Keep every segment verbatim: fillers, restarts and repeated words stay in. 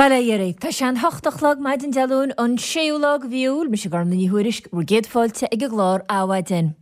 Bail ó Dhia oraibh. Tá sé an hocht a chlog maidin Dé Luain an séú lá de mhí Iúil. Mise Gormlaith Ní Thuairisg, bhur gcéad fáilte ag an gclár Adhmhaidin.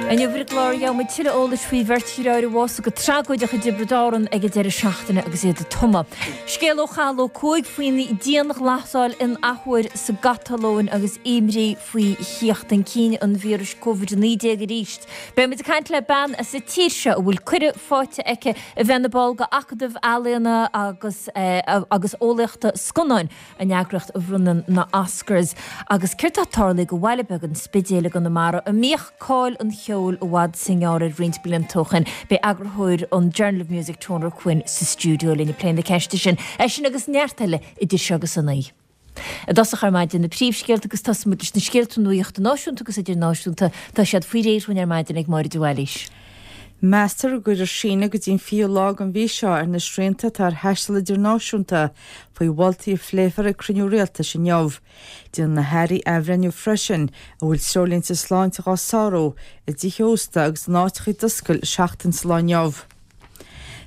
Inniu ar an gclár gheobhaidh muid tuilleadh eolais faoi bheirt dheartháir a bhásaigh go tragóideach i dTiobraid Árann ag an deireadh seachtaine agus iad ag tumadh. Scéal ó Chathal Ó Cuaig faoin dianghlasáil in athuair sa gCatalóin agus imní faoi thíocht chun cinn an víris Covid a naoi déag arís. Beidh muid ag caint le bean as an tír seo a bhfuil cuireadh faighte aici a bheith ina ball de Acadamh Ealaíona agus agus Eolaíochta Scannáin, an eagraíocht a bhronnann na Oscars. Agus céard atá tarlaithe do bhaile beag an Spidéil i gConamara a mbíodh cáil an cheoil i bhfad is i ngearr air roinnt blianta ó shin? Beidh eagarthóir an Journal of Music Toner Quinn sa stiúideo linn ag plé na ceiste sin. É sin agus neart eile idir seo agus a naoi. I dtosach ar maidin, na príomhscéalta agus tosóidh muid leis na scéalta nuachta náisiúnta agus idirnáisiúnta. Tá siad faoi réir dúinn ar maidin ag Máire de Bhailís. Meastar go gcuirfear síneadh go dtí an fichiú lá den mhí seo ar na srianta atá ar thaisteal idirnáisiúnta faoi mholtaí a phléifear ag cruinniú rialtais inniu. Déanfaidh na hairí athbhreithniú freisin an bhfuil treoirlínte sláinte dhá sárú i dtithe ósta agus in áiteacha a d'oscail seachtain sa lá inniu.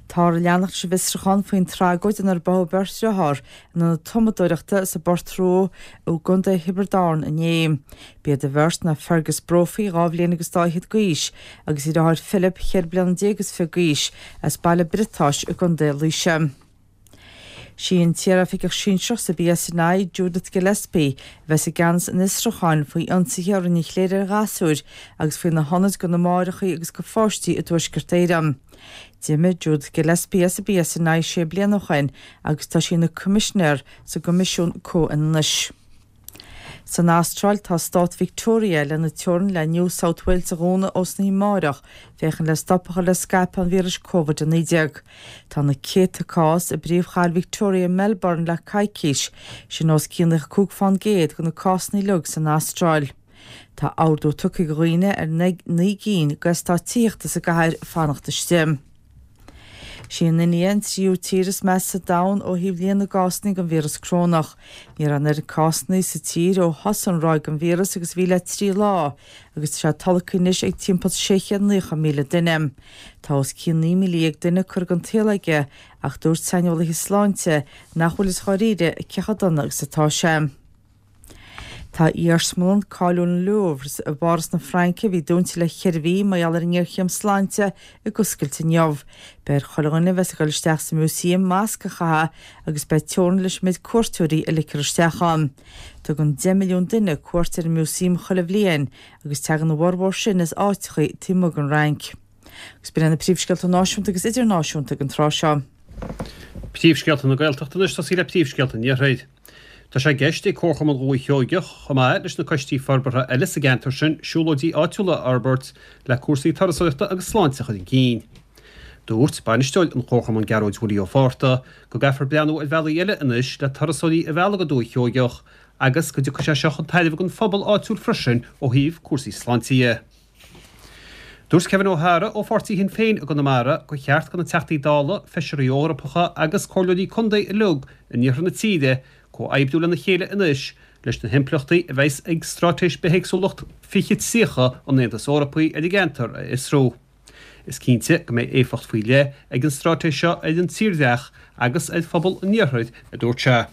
Táthar ag leanacht leis an bhfiosrúchán faoin tragóid inar báthadh beirt dhearthár in ionad tumadóireachta sa bPort Rua i gContae Thiobraid Árann inné. B'iad an bheirt ná Fergus Brophy, dhá bhliain agus dá fhichead d'aois, agus a dheartháir Philip, cheithre bliana déag is fiche d'aois, as Baile Briotáis i gContae Laoise. Sí an t-iaroifigeach sinsearach sa BSNI, Judith Gillespie, a bheas i gceannas an fhiosrúcháin faoi ionsaithe a rinne an chléir ar ghasúir agus faoi na hionaid do na máithreacha agus do pháistí i dTuaisceart Éireann. D'imigh Judith Gillespie as an BSNI sé bliana ó shin agus tá sí ina Coimisinéir sa gCoimisiún Comhionannais. San Astráil, tá stát Victoria lena teorainn le New South Wales a dhúnadh ós na amárach féachaint le stop a chur le scaipeadh an víris Covid a naoi déag. Tá na céadta cás i bpríomhchathair Victoria, Melbourne le coicís, sin os cionn naocha cúig fán gcéad de na cásanna uilig san Astráil. Tá ordú tugtha do dhaoine ar naoi gcinn d'eastáit tithíochta sa gcathair fanacht istigh. Sí an India an tríú tír is measa sa domhan ó thaobh líon na gcásanna den víreas corónach. Ní raibh an oiread cásanna sa tír ó thosaigh an ráig den víreas agus a bhí le trí lá, agus tá sé tolgtha anois ag timpeall sé chéad naocha míle duine. Tá os cionn naoi míle dhéag duine curtha den tsaol aige, ach dúirt saineolaithe sláinte nach bhfuil fhios dháiríre cé chomh dona agus atá sé. Tá iarsmalann cáiliúil an Louvre i bPáras na Fraince, a bhí dúnta le ceithre mhí mar gheall ar an ngéarchéim sláinte, ag oscailt inniu. Beidh ar chuile dhuine a bheas ag dul isteach sa músaem masc a chaitheamh agus beidh teorainn leis an méid cuairteoirí a ligfear isteach ann. Tugann deich milliún duine cuairt ar an músaem chuile bhliain agus tagann a bhformhór sin as áiteacha taobh amuigh den Fhrainc. Agus b'in iad na príomhscéalta náisiúnta agus idirnáisiúnta ag an tráth seo. Príomhscéalta na Gaeltachta anois, tosaí le príomhscéalta an Iarthair. Tá sé i gceist ag Comharchumann Dhúiche Sheoigeach, chomh maith leis na coistí forbartha eile sa gceantar sin, siúlóidí áitiúla a fhorbairt le cúrsaí turasóireachta agus sláinte a chur chun cinn. Dúirt bainisteoir an Chomharchumainn Gearóid Willie Ó Fátharta go gcaithfear breathnú ar bhealaí eile anois le turasóirí a mhealladh go Dúiche Sheoigeach agus go dtiocfaidh sé seo chun tairbhe don phobal áitiúil freisin ó thaobh cúrsaí sláinte dhe. Dúirt Kevin O'Hara ó pháirtí Shinn Féin i gConamara gur cheart do na Teachtaí Dála, Feisirí Eorpacha agus Comhairleoirí Contae uilig in iarthar na tíre comhoibriú lena chéile anois leis na himpleachtaí a bheas ag Straitéis Bithéagsúlacht fiche tríocha an Aontais Eorpaigh ar an gceantar a fhiosrú. Is cinnte go mbeidh éifeacht faoi leith ag an straitéis seo ar an tírdhreach agus ar phobal an iarthair, a dúirt sé.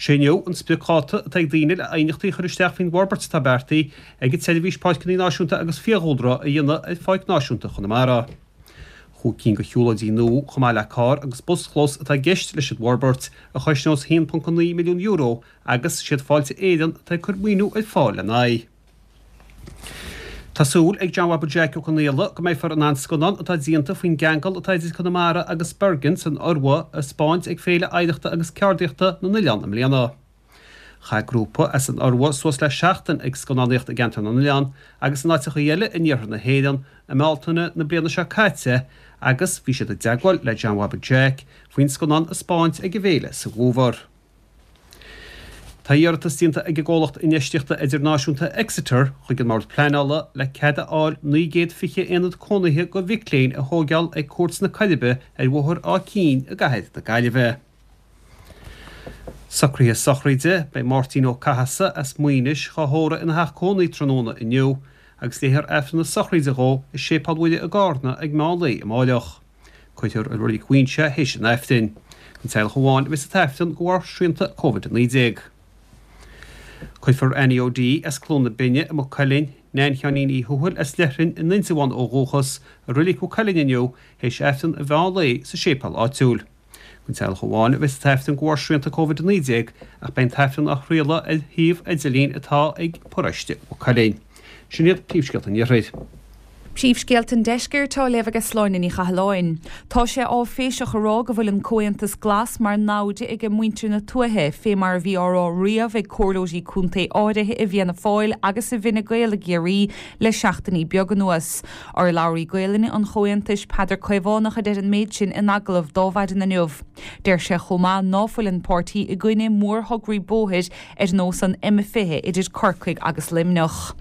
Sé inniu an spriocdháta atá ag daoine le aighneachtaí a chur isteach faoin bhforbairt atá beartaithe ag an tSeirbhís Páirceanna Náisiúnta agus Fiadhúlra a dhéanamh ar Pháirc Náisiúnta Chonamara. Chúig cinn de shiúlóidí nua chomh maith le carr agus buschlós atá i gceist leis an bhforbairt, a chosnós a haon ponc a naoi milliún euro agus siad Fáilte Éireann atá ag cur maoiniú ar fáil lena aghaidh. Tá súil ag John Bhabaí Jeaic Ó Conaola go mbeifear in ann scannán atá déanta faoin gceangal atá idir Conamara agus Bergen san Iorua a 'spáint ag Féile Oidhreachta agus Ceardaíochta na nOileán i mbliana. Chaith grúpa as an Iorua suas le seachtain ag scannánaíocht i gCeantar na nOileán agus in áiteacha eile in iarthar na hÉireann i mBealtaine na bliana seo caite agus bhí siad i dteagmháil le John Bhabaí Jeaic faoin scannán a 'spáint ag an bhféile sa bhfómhar. Tá iarratas déanta ag an gcomhlacht infheistíochta idirnáisiúnta Exeter chuig an mBord Pleanála le cead a fháil naoi gcéad fiche aonad cónaithe do mhic léinn a thóigeáil ag Cúirt na Coiribe ar Bhóthar Áth Cinn i gcathair na Gaillimhe. Socruithe sochraide, Beidh Máirtín Ó Cathasaigh as Maínis dhá thórramh ina theach cónaí tráthnóna inniu agus léifear Aifreann na sochraide dhó i Séipéal Mhuire i gCarna ag meán lae amáireach. Cuirfear i Reilig Mhuighinse é théis an Aifrinn. Don teaghlach amháin a bheas an tAifreann de bharr srianta Covid a naoi déag. Cuirfear Annie O'Dea as Cluain na Binne i Maigh Cuilinn, Neain Sheáinín Uí Thuathail as Leithrinn in Indreabhán ó dhúchas, i Reilig Mhaigh Cuilinn inniu théis Aifreann an mheán lae sa séipéal áitiúil. Don teaghlach amháin a bheas an tAifreann de bharr srianta Covid a naoi déag ach beidh an tAifreann á chraoladh ar shuíomh idirlín atá ag Paróiste Mhaigh Cuilinn. Sin iad príomhscéalta an Iarthair. Príomhscéalta an Deiscirt á léamh ag Sláine Ní Chathalláin. Tá sé áiféiseach a rá go bhfuil an Comhaontas Glas mar namhaid ag muintir na tuaithe, fé mar a bhí á rá riamh ag comhairleoirí contae áirithe i bhFianna Fáil agus i bhFine Gael i gCiarraí le seachtainí beaga anuas. Urlabhraí Gaelainne an Chomhaontais Peadar Caomhánach a deir an méid sin in agallamh d'Adhmhaidin inniu. Deir sé chomh maith ná fuil an páirtí i gcoinne mórthograí bóthair ar nós an M fiche idir Corcaigh agus Luimneach.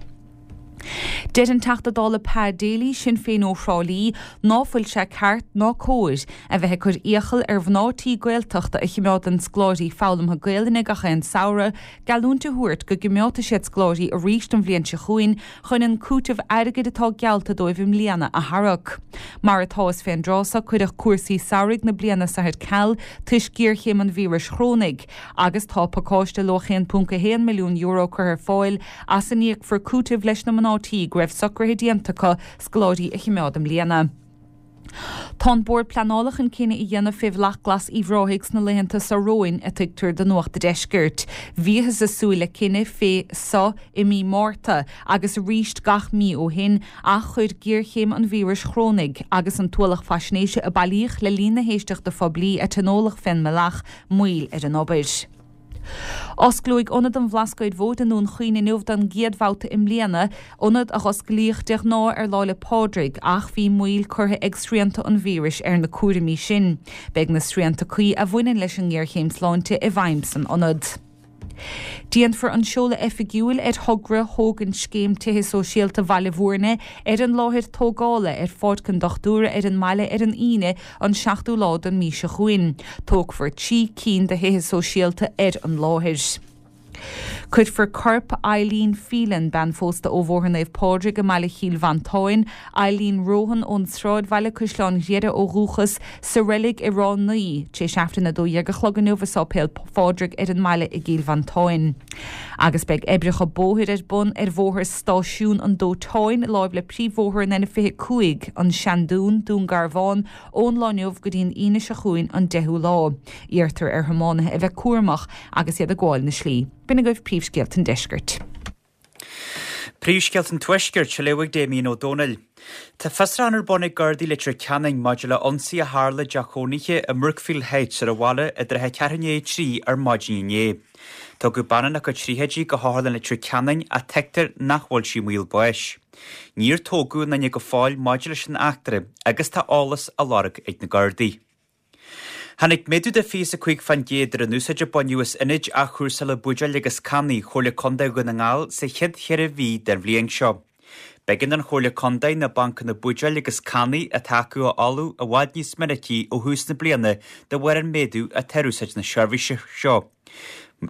Deir an Teachta Dála Pa Daly, Sinn Féin ó Thrá Lí, ná fuil sé ceart ná cóir a bheith ag cur iachall ar mhná tí Gaeltachta a chimeádann scoláirí foghlamtha Gaelainne gach aon samhradh, geallúint a thabhairt go gcimeádfaidh siad scoláirí arís an bhliain seo chugainn chun an cúiteamh airgid atá geallta dóibh i mbliana a tharrac. Mar atá is fén dtráth so cuireadh cúrsaí samhraidh na bliana so ar ceal toisc géarchéim an víris chorónaigh agus tá pacáiste luach aon ponc a haon milliún euro curtha ar fáil as a n-íocfar cúiteamh leis na mná tí go raibh socruithe déanta acu scoláirí a chimeád i mbliana. Tá an Bord Pleanála chun cinneadh a dhéanamh fé Bhealach Glas Uíbh Ráthaigh sna laethanta so romhainn, a tuigtear do Nuacht an Deiscirt. Bhíothas ag súil le cinneadh fé so i mí Márta agus arís gach mí ó shin ach chuir géarchéim an víris chorónaigh agus an t-ualach faisnéise a bailíodh le linn na héisteachta phoiblí a tionóladh fén mbealach moill ar an obair. Osclóidh Ionad an Bhlascaoid Mhóir i nDún Chaoin inniu don gcéad bhabhta i mbliana, ionad a osclaíodh de ghnáth ar Lá 'le Pádraig, ach bhí moill curtha ag srianta an víris ar na cúraimí sin. Beidh na srianta cuí a bhaineann leis an ngéarchéim sláinte i bhfeidhm san ionad. Déanfar an seoladh oifigiúil ar thogra thógaint Scéim Tithe Sóisialta Bhaile Bhúirne ar an láthair tógála ar Pháirc an Dochtúra ar an mbaile ar an Aoine an seachtú lá den mhí seo chugainn. Tógfar trí cinn de thithe sóisialta ar an láthair. Cuirfear corp Eileen Phelan, bean phósta ó Bhóthar Naomh Pádraig i mbaile Chill Mhantáin, Eileen Rohan ón Sráidbhaile, Caisleán Ghriaire ó dhúchas, sa reilig i Ráth Naoi, tar éis Aifreann a dó dhéag a chlog inniu i Sáipéal Phádraig ar an mbaile i gCill Mhantáin. Agus beidh oibreacha bóthair ar bun ar Bhóthar Stáisiún an Dóiteáin, láimh le príomhbhóthar an N fiche cúig, An Seandún, Dún Garbhán, ón lá inniu go dtí an Aoine seo chugainn an deichiú lá. Iarrtar ar thiománaithe a bheith cúramach agus iad ag gabháil na slí. B'in agaibh príomhscéalta an deiscirt. Príomhscéalta an Tuaiscirt, á léamh ag Damien Ó Dónaill. Tá fiosrúchán ar bun ag Gardaí Leitir Ceanainn maidir le ionsaí a tharla i dteach cónaithe i mBrookfield Heights ar an bhaile i dtrátha ceathrú i ndiaidh a trí ar maidin inné. Tugadh bean ina cuid tríochaidí go hotharlann Leitir Ceanainn ach tuigtear nach bhfuil sí i mbaol báis. Níor tógadh aon duine go fóill maidir leis an eachtra agus tá eolas á lorg ag na Gardaí. Tháinig méadú de fiche is a cúig fán gcéad ar an úsáid a baineadh as ionaid athchúrsála buidéil agus cannaí Chomhairle Contae Dhún na nGall sa chéad cheithre mhí den bhliain seo. B'éigean don Chomhairle Contae na bancanna buidéil agus cannaí atá acu a fholmhú i bhfad níos minicí ó thús na bliana de bharr an méadú atá ar úsáid na seirbhíse seo.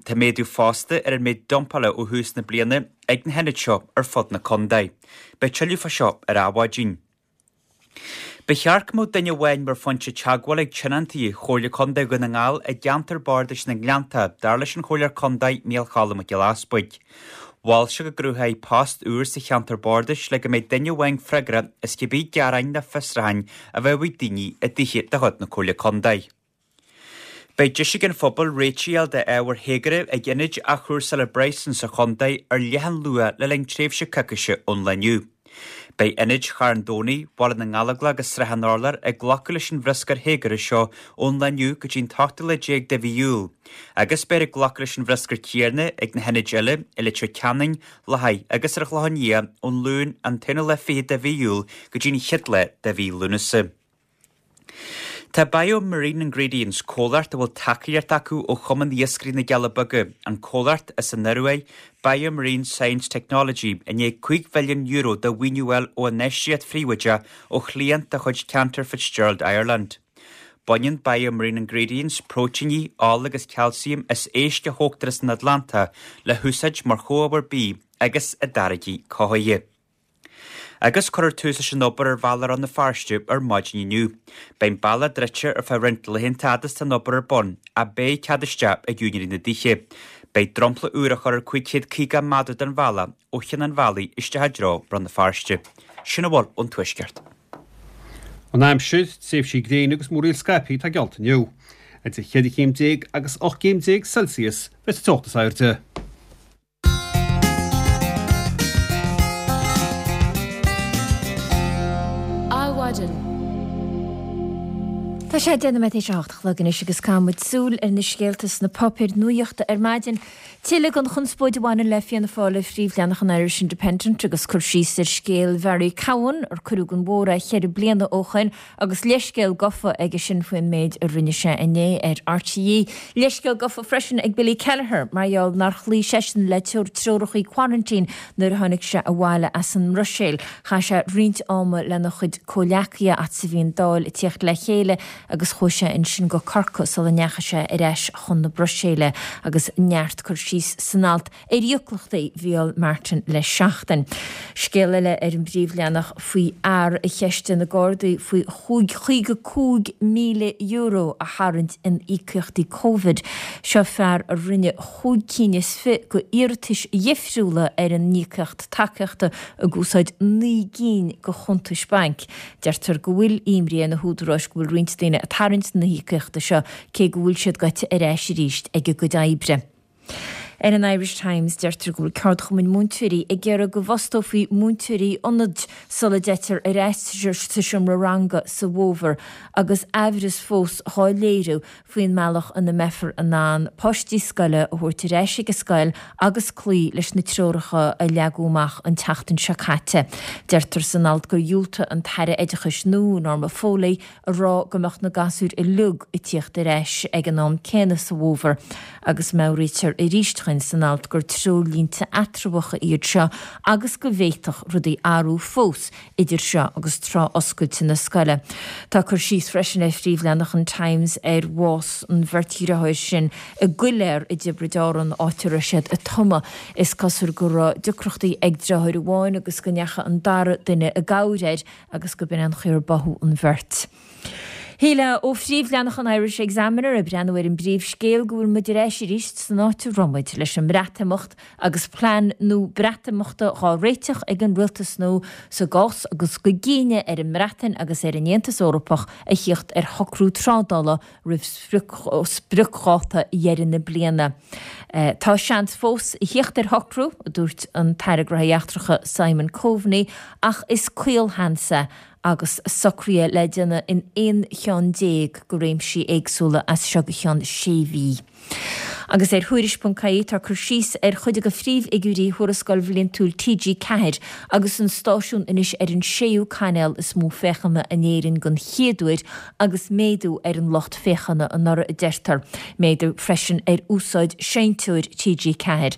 Tá méadú fosta ar an méid dumpála ó thús na bliana ag na hionaid seo ar fud na contae. Beidh tuilleadh fá seo ar Adhmhaidin. Ba cheart go mbeadh duine amháin mar phointe teagmhála ag tionóntaí Chomhairle Contae Dhún na nGall i gceantar bardais na nGleannta, dar leis an Chomhairleoir Contae Micheál Cholm Mac Giolla Easbuig. Mhol sé go gcruthófaí post úr sa cheantar bardais le go mbeidh duine amháin freagrach as cibé gearáin nó fiosrúcháin a bheadh ag daoine i dtithe de chuid na Comhairle Contae. Beidh deis ag an phobal réitigh a fháil d'ábhair théagartha ag ionaid athchúrsála Bryson sa chontae ar leathán luath le linn tréimhse coicíse ón lá inniu. Beidh ionaid Charn Domhnaigh, Bhaile na nGallóglach agus Srath an Urláir ag glacadh leis an bhruscar théagartha seo ón lá inniu go dtí an t-ochtú lá déag de mhí Iúil, agus beidh ag glacadh leis an bhruscar céanna ag na hionaid eile i Leitir Ceanainn, Loch agus ar an Chlochán Liath ón Luan an t-aonú lá fichead de mhí Iúil go dtí an chéad lá de mhí Lúnasa. Tá Bio-Marine Ingredients, comhlacht a bhfuil tacaíocht acu ó Chumann Iascairí na gCealla Beaga, an comhlacht as an Ioruaidh, Bio-Marine Science Technology, i ndiaidh cúig mhilliún euro de mhaoiniú a fháil ó infheistíocht phríobháideach ó chliant de chuid Cantor Fitzgerald Ireland. Baineann Bio-Marine Ingredients próitéiní, ola agus calciam as éisc a thógtar as an Atlantach le húsáid mar chomhábhar bídh agus i dtáirgí cothaithe. Agus cuirfear tús leis an obair ar bhealach Rann na Feirste ar maidin inniu. Beidh an bealach druidte ar feadh roinnt laethanta fhad is atá an obair ar bun, ach beidh cead isteach ag úinéirí na dtithe. Beidh dromchla úr á chur ar cúig chéad caoga méadar den bhealach ó Chionn an Bhealaigh isteach i dtreo Rann na Feirste. Sin a bhfuil ón Tuaisceart. An aimsir, tréimhsí gréine agus múraíl scaipthe atá geallta inniu. Idir cheithre chéim déag agus ocht gcéim déag Celsius bheidh sa teocht is airde. Adhmhaidin. Tá sé deich nóiméad théis a hocht a chlog anois agus caithfidh muid súil ar na scéalta sna páipéir nuachta ar maidin. Tuilleadh den chonspóid a bhaineann le Fianna Fáil ar phríomhleathanach an Irish Independent agus cur síos ar scéal Bharry Cowen ar cuireadh den bhóthar é ceithre bliana ó shoin agus leithscéal gofa aige sin faoin méid a rinne sé inné ar RTÉ. Leithscéal gofa freisin ag Billy Kelleher mar gheall nár chloígh seisean le treoracha quarantine nuair a tháinig sé abhaile as an mBruiséil. Chaith sé roinnt ama lena chuid comhleacaithe fhad is a bhí an Dáil ag tíocht le chéile agus chuaigh sé ansin go Corcaigh sula ndeachaigh sé ar ais chun na Bruiséile agus neart cur síos san alt ar íocaíochtaí Mhícheál Martin le seachtain. Scéal eile ar an bpríomhleathanach faoi fhear a cheistigh na Gardaí faoi chúig chaoga cúig míle euro a tharraingt in íocaíochtaí Covid. Seo fear a rinne chúig cinn is fiche go iarratais dhifriúla ar an íocaíocht tacaíochta ag úsáid naoi gcinn go chuntais bainc. Deirtear go bhfuil imní ar na húdaráis go bhfuil roinnt daoine ag tarraingt na híocaíochta seo cé go bhfuil siad gaite ar ais arís ag a gcuid oibre. Ar an Irish Times deirtear go bhfuil ceardchumainn múinteoirí ag iarraidh go bhfostófaí múinteoirí ionaid sula dteitear ar ais sa seomra ranga sa bhfómhar agus aimhreas fós dhá léiriú faoin mbealach ina mbeifear in ann páistí scoile a thabhairt ar ais ag an scoil agus cloí leis na treoracha a leagadh amach an tseachtain seo caite. Deirtear san alt gur dhiúltaigh an tAire Oideachais nua, Norma Foley, a rá go mbeadh na gasúir uilig ag tíocht ar ais ag an am céanna sa bhfómhar agus meabhraítear arís dúinn san alt gur treoirlínte eatramhacha iad seo agus go bhféadfadh rudaí athrú fós idir seo agus tráth oscailte na scoile. Tá cur síos freisin ar phríomhleathanach an Times ar bhás an bheirt dheartháir sin i gcoiléar i dTiobraid Árann, áit a raibh siad ag tumadh. Is cosúil go raibh deacrachtaí ag deartháir amháin agus go ndeachaigh an dara duine i gcabhair air agus go b'in an chaoi ar báthadh an bheirt. Shílfeá ó phríomhleathanach an Irish Examiner ag breathnú ar an bpríomhscéal go bhfuil muid ar ais arís san áit a raibh muid leis an mBreatimeacht agus plean nua Breatimeachta dhá réiteach ag an rialtas nua sa gcás agus go gcinneadh ar an mBreatain agus ar an Aontas Eorpach a thíocht ar shocrú trádála roimh spriocdháta dheireadh na bliana. Tá seans fós a thíocht ar shocrú, a dúirt an tAire Gnóthaí Eachtracha Simon Coveney, ach is caolsheans é agus socruithe le déanamh in aon cheann déag de réimsí éagsúla as seo go ceann sé mhí. Agus ar Thuairisc ponc ie tá cur síos ar chuid de phríomhfhigiúirí Thuarascáil Bhliantúil T G ceathair agus an stáisiún anois ar an séú cainéal is mó féachana in Éirinn den chéad uair agus méadú ar an lucht féachana anuraidh a deirtear. Méadú freisin ar úsáid seinnteoir T G ceathair.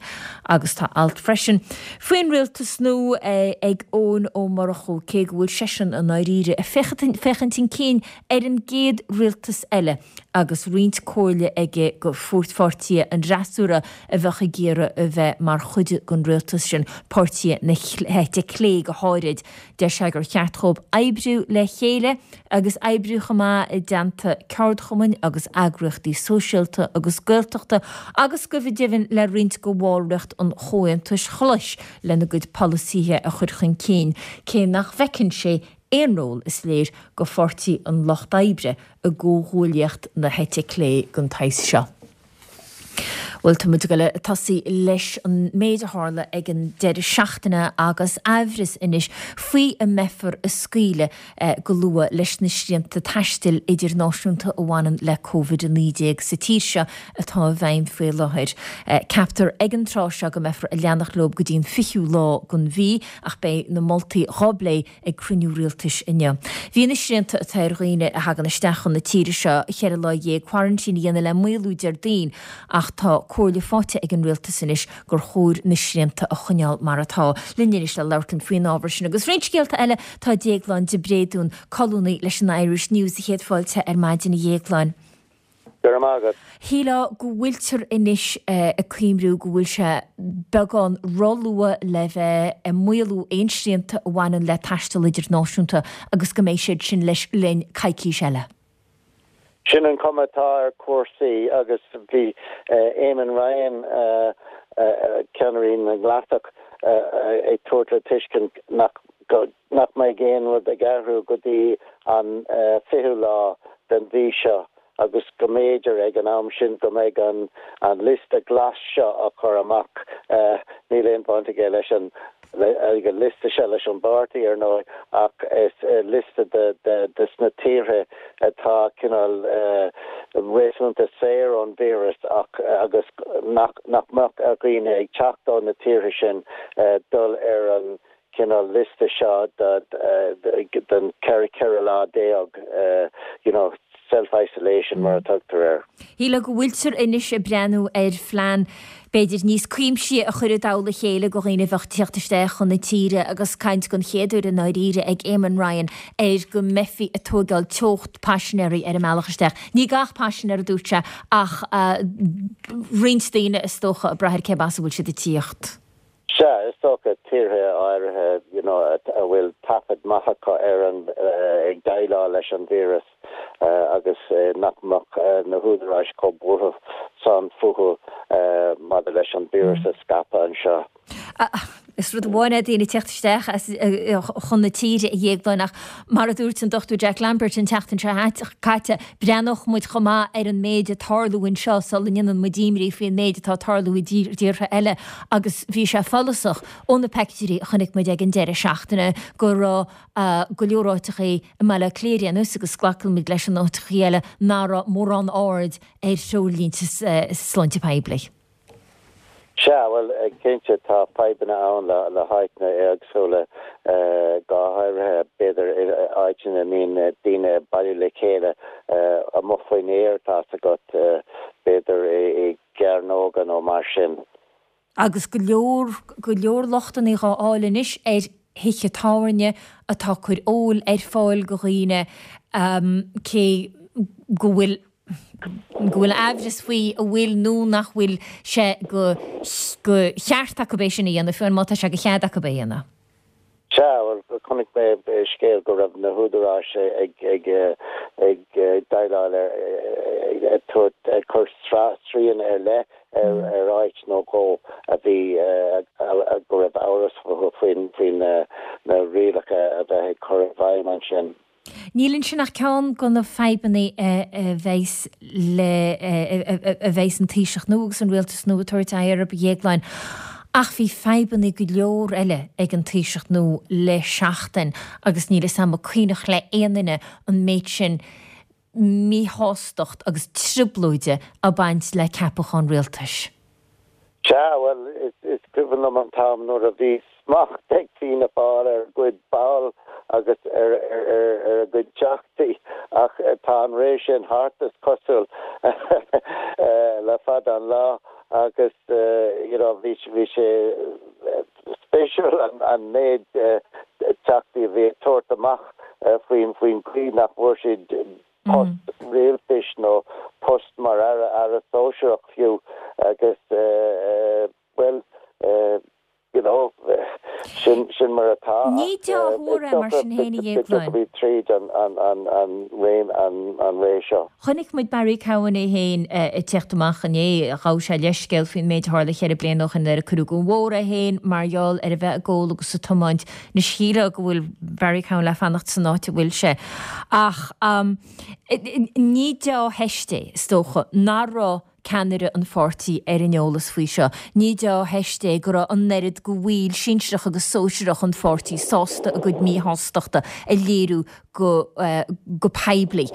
Agus tá alt freisin faoin rialtas nua ag Eoin Ó Murchú, cé go bhfuil seisean i ndáiríre ag féachaint chun cinn ar an gcéad rialtas eile agus roinnt comhairle aige go pháirtithe an fhreasúra a bheadh ag iarraidh a bheith mar chuid den rialtas sin, páirtithe na heite clé go háirid. Deir sé gur cheart dhóibh oibriú le chéile agus oibriú chomh maith i dteannta ceardchumainn agus eagraíochtaí sóisialta agus Gaeltachta agus go deimhin le roinnt de bhallraíocht an Chomhaontais Ghlais lena gcuid polasaithe a chur chun cinn, cé nach bhfeiceann sé aon ról, is léir, go Pháirtí an Lucht Oibre i gcomhghuaillíocht na heite clé den tsaghas seo. Bhuel, tá muid ag dul ag tosaí leis an méid a tharla ag an deireadh seachtaine agus aimhreas anois faoi an mbeifear ag scaoileadh go luath leis na srianta taistil idirnáisiúnta a bhaineann le Covid a naoi déag sa tír seo atá i bhfeidhm faoi láthair. Ceaptar ag an tráth seo go mbeifear ag leanacht leo go dtí an fichiú lá den mhí ach beidh na moltaí dhá bplé ag cruinniú rialtais inniu. Bhí na srianta atá ar dhaoine a thagann isteach chun na tíre seo cheithre lá dhéag quarantine a dhéanamh le maolú Déardaoin ach tá comhairle faighte ag an rialtas anois gur chóir na srianta a choinneáil mar atá. Linn anois le labhairt linn faoin ábhar sin agus roinnt scéalta eile tá Déaglán de Bréadún, colúnaí leis an Irish News. Céad fáilte ar maidin a Dhéagláin. Go raibh maith agat. Shílfeá go bhfuiltear anois ag cuimriú go bhfuil sé beagán róluath le bheith ag maolú aon srianta a bhaineann le taisteal idirnáisiúnta agus go mbeidh siad sin leis linn coicís eile. Sin an cuma atá ar chúrsaí agus bhí Eamon Ryan, ceannaire na nGlasach, ag tabhairt le tuiscint nach nach mbeidh aon rud ag athrú go dtí an fichiú lá den mhí seo agus go mb'fhéidir ag an am sin go mbeidh an an liosta glas seo á chur amach. Níl aon bhaint aige leis an ag an liosta seo leis an bpáirtí, ar ndóigh, ach is liosta de de de sna tíortha atá cineál réasúnta saor ón víreas ach agus nach nach mbeadh ar dhaoine ag teacht ó na tíortha sin dul ar an cineál liosta seo den ceithre ceithre lá déag, you know, self-isolation mar a tugtar air. Shílfeá go bhfuiltear anois ag breathnú ar phlean b'fhéidir níos cuimsithí a chur i dtoll a chéile do dhaoine a bheadh ag tíocht isteach chun na tíre agus caint don chéad uair i ndáiríre ag Eamon Ryan ar go mbeifí ag tóigeáil teocht paisinéirí ar an mbealach isteach. Ní gach paisinéir a dúirt sé ach roinnt daoine is dócha ag brath ar cé as a bhfuil siad ag tíocht. Sea, is dócha tíortha áirithe you know a bhfuil taifead maith acu ar an ag déileáil leis an víreas agus nach mbeadh na húdaráis chomh buartha san fúthu maidir leis an víreas a scaipeadh anseo. Is rud amháin é daoine ag teacht isteach as chun na tíre a Dhéagláin ach mar a dúirt an Dochtúir Jack Lambert an tseachtain seo caite, breathnódh muid chomh maith ar an méid ag tarlú anseo sula ndéanann muid imní faoin méid atá ag tarlú i dtíortha eile agus bhí sé follasach ó na peictiúirí a chonaic muid ag an deireadh seachtaine go raibh go leor áiteachaí i mBaile Átha Cliath ar aon nós agus glacann muid leis in áiteachaí eile nach raibh mórán aird ar threoirlínte sláinte poiblí. Sea, bhuel, cinnte tá fadhbanna ann le le háiteanna éagsúla, go háirithe b'fhéidir áiteanna a mbíonn daoine ag bailiú le chéile amuigh faoin aer, tá's agat, b'fhéidir i gcearnóga nó mar sin. Agus go leor, go leor lochtanna dhá fháil anois ar thithe tábhairne atá ag cur óil ar fáil go dhaoine cé go bhfuil go bhfuil aimhreas faoi an bhfuil nó nach bhfuil sé go go cheart acu é sin a dhéanamh, fiú má tá sé go chead acu é a dhéanamh. Sea, bhuel, chonaic mé scéal go raibh na húdaráis ag ag ag déileáil ar ag tabhairt ag cur srian ar leith ar ar áit nó dhó a bhí go raibh amhras faoin faoin na rialacha a bheith ag cur i bhfeidhm ansin. Níl ansin ach ceann de na fadhbanna a bheas le a bheas an Taoiseach nua agus an Rialtas nua ag tabhairt aghaidh orthu, a Dhéagláin. Ach bhí fadhbanna go leor eile ag an Taoiseach nua le seachtain agus níl 'fhios a'm an cuimhneach le aon duine an méid sin míshástacht agus trioblóide ag baint le ceapachán rialtais. Sea, bhuel, is cuimhin liom an t-am nuair a bhí smacht ag Fianna Fáil ar a gcuid ball agus ar a gcuid teachtaí ach tá an ré sin thart, is cosúil, le fada an lá agus you know bhí bhí sé spéisiúil an méid teachtaí a bhí ag tabhairt amach faoin faoin gcaoi nach bhfuair siad post rialtais nó post mar aire aire sóisearach fiú agus bhuel you know sin sin mar atá Ní dea-thuar é mar sin féin a go dtiocfaidh tríd an an an an réim an an ré seo. Chonaic muid Barry Cowen é féin ag teacht amach inné, ghabh sé leithscéal faoin méid a tharla cheithre bliana ó shin nuair a cuireadh den bhóthar é féin mar gheall ar a bheith ag ól agus ag tiomáint. Anois shílfeá go bhfuil Barry Cowen le fanacht san áit a bhfuil sé. Ach ní dea-theist é, is dócha, nach raibh ceannaire an pháirtí ar an eolas faoi seo. Ní dea-theist é go raibh an oiread de bhaill sinsearach agus sóisearach an pháirtí sásta a gcuid míshástachta a léiriú go go poiblí.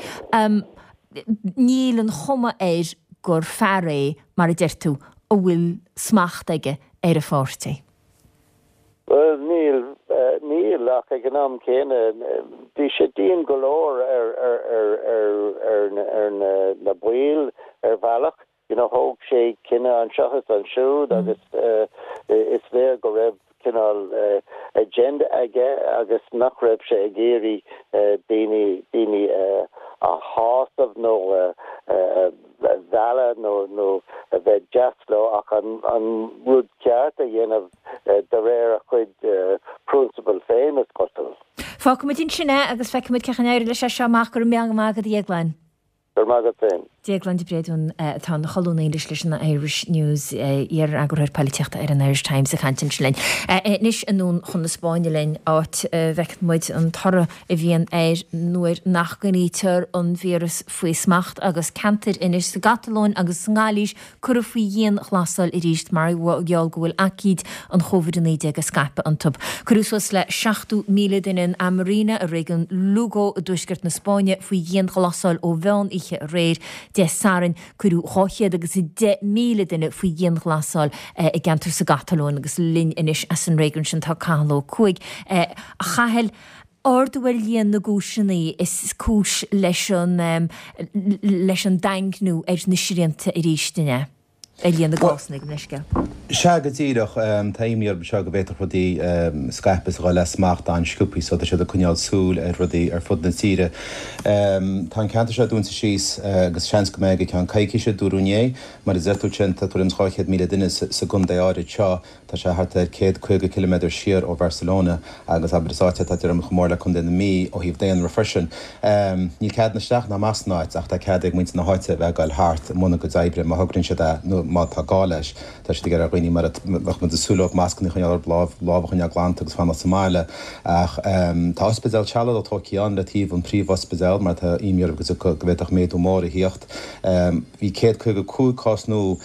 Níl an chuma air gur fear é, mar a deir tú, a bhfuil smacht aige ar a pháirtí. Bhuel, níl, níl, ach ag an am céanna, bhí sé dian go leor ar, ar, ar, ar, ar, ar na, na baill ar bhealach. You know, thóg sé cinneadh anseo is ansiúd agus is léir go raibh cineál agenda aige agus nach raibh sé ag iarraidh daoine, daoine a shásamh nó mholadh nó nó a bheith deas leo ach an an rud ceart a dhéanamh de réir a chuid prionsabal féin is cosúil. Fágfaimid ansin é agus feicfimid cén chaoi a n-éireoidh leis seo amach go raibh míle maith agat a Dhéagláin. Go raibh maith agat féin. Déaglán de Bréadún atá ina cholúnaí anois leis an Irish News, iar-eagarthóir polaitíochta ar an Irish Times ag caint ansin linn. Anois anonn chun na Spáinne linn, áit a bhfeiceann muid an toradh a bhíonn air nuair nach gcoinnítear an víreas faoi smacht agus ceantair anois sa gCatalóin agus sa nGailís curtha faoi dhianghlasáil arís mar gheall go bhfuil aicíd an Chóivid a naoi déag ag scaipeadh iontu. Cuireadh suas le seachtó míle duine in A Mariña i réigiún Lugo i dtuaisceart na Spáinne faoi dhianghlasáil ó mheán oíche aréir, Dé Sathairn. Cuireadh dhá chéad agus a deich míle duine faoi dhianghlasáil i gceantar sa gCatalóin agus linn anois as an réigiún sin tá Cathal Ó Cuaig. A Chathail, ardú ar líon na gcúiseanna is cúis leis an leis an daingniú ar na srianta arís, an ea? Ar líon na gcásanna, gabh mo leithscéal. Sea, go díreach. Tá imní orthu seo go bhféadfadh rudaí scaipeadh is a dhul as smacht an-sciobtha so tá siad ag coinneáil súil ar rudaí ar fud na tíre. Tá an ceantar seo dúnta síos agus seans go mbeidh go ceann coicíse, dúradh inné. Mar a deir tú ansin, tá tuairim is dhá chéad míle duine sa gcontae áirid seo. Tá sé thart ar céad caoga ciliméadar siar ó Bharcelona agus abair is áit é atá tuairim chomh mór le Contae na Mí ó thaobh daonra freisin. Níl cead isteach ná amach san áit ach tá cead ag muintir na háite a bheith ag dul thart i mbun a gcuid oibre má thograíonn siad é nó má tá gá leis. Tá siad ag iarraidh ar dhaoine mar a bheadh muid ag súil leo mascanna a choinneáil orthu, lámh lámh a choinneáil glanta agus fanacht sa mbaile. Ach tá ospidéal sealadach tógtha ann le taobh an príomhospidéal mar tá imní orthu go bhféadfadh méadú mór a thíocht. Bhí céad caoga cúig cás nua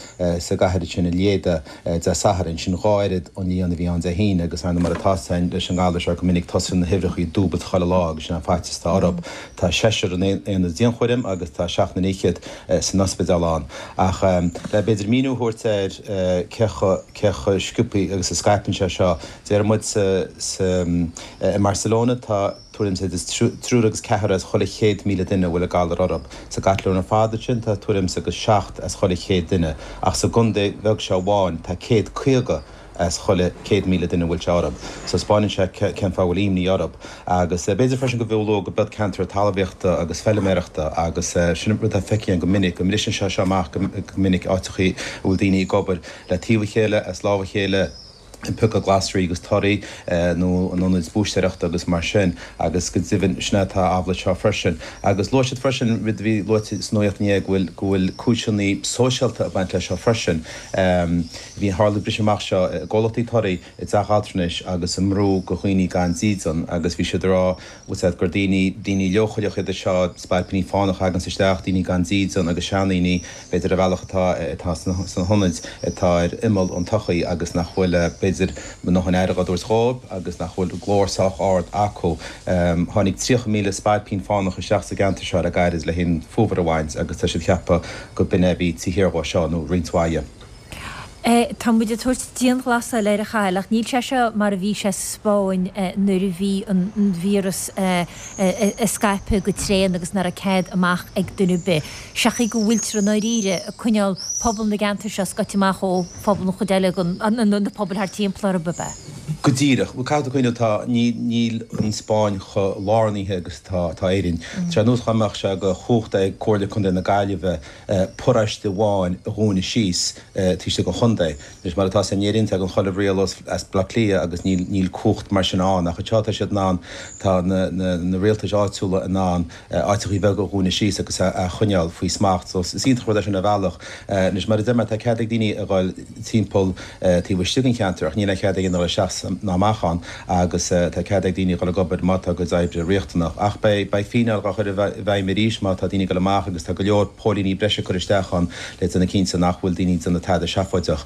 sa gcathair sin i Lleida Dé Sathairn, sin dhá oiread an líon a bhí ann Dé hAoine agus ar ndóigh mar atá againn leis an ngalar seo go minic tosaíonn na huimhreacha ag dúbailt chuile lá agus sin an faitíos atá orthu. Tá seisear in aonad dianchúraim agus tá seacht na naoi chéad san ospidéal ann. Ach le b'fhéidir míniú a thabhairt ar cé chomh cé chomh sciobtha agus a scaipeann sé seo, déarfaidh muid sa sa i mBarcelona tá tuairim is triúr agus ceathrar as chuile chéad míle duine a bhfuil an galar orthu. Sa gCatalóin ar fad ansin tá tuairim agus seacht as chuile chéad duine, ach sa gcontae bheag seo amháin tá céad caoga as chuile céad míle duine a bhfuil sé orthu. So spáineann sé cén fáth a bhfuil imní orthu. Agus b'fhéidir freisin go bhfiú leo go b'iad ceantar talmhaíochta agus feiliméarachta agus sin rud atá feicthe go minic, go mbriseann sé seo amach go minic áiteachaí a bhfuil daoine ag obair le taobh a chéile, as lámh a chéile, ag piocadh glasraí agus torthaí nó in ionaid búistéireachta agus mar sin agus go deimhin sin é atá amhlaidh seo freisin. Agus luaigh siad freisin rud a bhí luaite sa nuacht inné go bhfuil go bhfuil cúiseanna sóisialta ag baint leis seo freisin. Bhí tharla briseadh amach seo i gcomhlachtaí torthaí i dteach altranais agus i mbrú go dhaoine gan dídean agus bhí siad ag rá bhfuil siad gur daoine daoine leochaileacha iad seo, spailpíní fánacha a thaganns isteach, daoine gan dídean agus seandaoine b'fhéidir ar bhealach atá atá sna hionaid atá ar imeall an tsochaí agus nach bhfuil b'fhéidir a ndóthain aire á dtabhairt dhóibh agus nach bhfuil glór sách ard acu. Tháinig tríocha míle spailpín fánach isteach sa gceantar seo le gairid le an fómhar a bhaint agus tá siad ag ceapadh go b'in é a bhí taobh thiar dhó seo nó roinnt mhaith dhe. Tá muid ag tabhairt dianghlasáil air a Chathail ach níl sé seo mar a bhí sé sa Spáinn nuair a bhí an víreas ag scaipeadh go tréan agus nach raibh cead amach ag duine ar bith. Seachas go bhfuiltear i ndáiríre ag coinneáil pobal na gceantar seo scoite amach ó phobal an chuid eile den, na pobail thart timpeall orthu, ab ea? Go díreach. Bhuel, caithfidh tú cuimhneamh, tá, níl an Spáinn chomh lárnaithe agus atá, atá Éirinn. Tá sé ar nós dá mbeadh sé de chumhacht ag Comhairle Contae na Gaillimhe paróiste amháin a dhúnadh síos taobh istigh den chontae. Anois, mar atá in Éirinn, tagann chuile riail as Baile Átha Cliath agus níl níl cumhacht mar sin ann. Ach anseo tá siad in ann, tá na na na rialtais áitiúla in ann áiteachaí beaga a dhúnadh síos agus a a choinneáil faoi smacht. So is iontach an rud é sin ar bhealach. Anois, mar a deir mé, tá cead ag daoine a dhul timpeall taobh istigh den cheantar ach níl aon chead ag éinne a dhul isteach ná amach ann agus tá cead ag daoine a dhul ag obair má tá a gcuid oibre riachtanach. Ach beidh beidh fíneáil á chur i bhfeidhm arís má tá daoine ag dul amach agus tá go leor póilíní breise curtha isteach ann le déanamh cinnte nach bhfuil daoine ag déanamh tada seafóideach.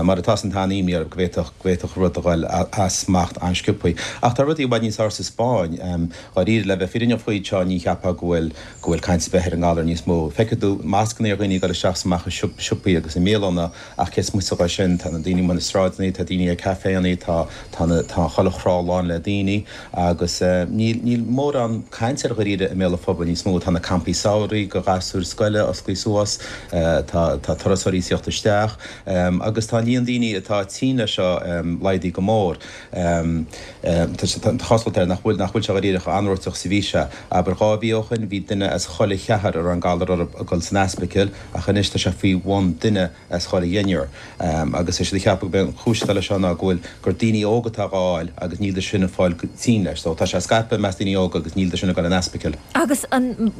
Mar atá san tá an-imní orthu go bhféadfadh go bhféadfadh rud a dhul as smacht an-sciobtha. Ach tá rudaí i bhfad níos fearr sa Spáinn. Dháiríre, le bheith fírinneach faoi seo ní cheapfá go bhfuil go bhfuil caint ar bith ar an ngalar níos mó. Feicfidh tú mascanna ar dhaoine ag dul isteach is amach i siopaí agus i mbialanna ach cé is moite dhe sin tá na daoine amuigh na sráideanna, tá daoine ag caiféanna, tá Tá tá na tá chuile thrá lán le daoine agus níl níl mórán caint air dháiríre i mbéal an phobail níos mó. Tá na campaí samhraidh do ghasúir scoile osclaithe suas, tá tá turasóirí ag tíocht isteach agus tá an líon daoine atá tinn leis seo laghdaithe go mór. Tá sé tá cosúlacht air nach bhfuil nach bhfuil sé dháiríre chomh anróiteach is a bhí sé. Abair dhá mhí ó shin bhí duine as chuile cheathrar a raibh an galar orthu ag dul san ospidéal ach anois tá sé faoi bhun duine as chuile dheichniúr. Agus tá siad ag ceapadh gurb é an chúis atá leis seo ná go bhfuil gur daoine óga atá á fháil agus níl siad sin ag fáil tinn leis. So tá sé ag scaipeadh i measc daoine óga agus níl siad sin ag dul in ospidéal. Agus an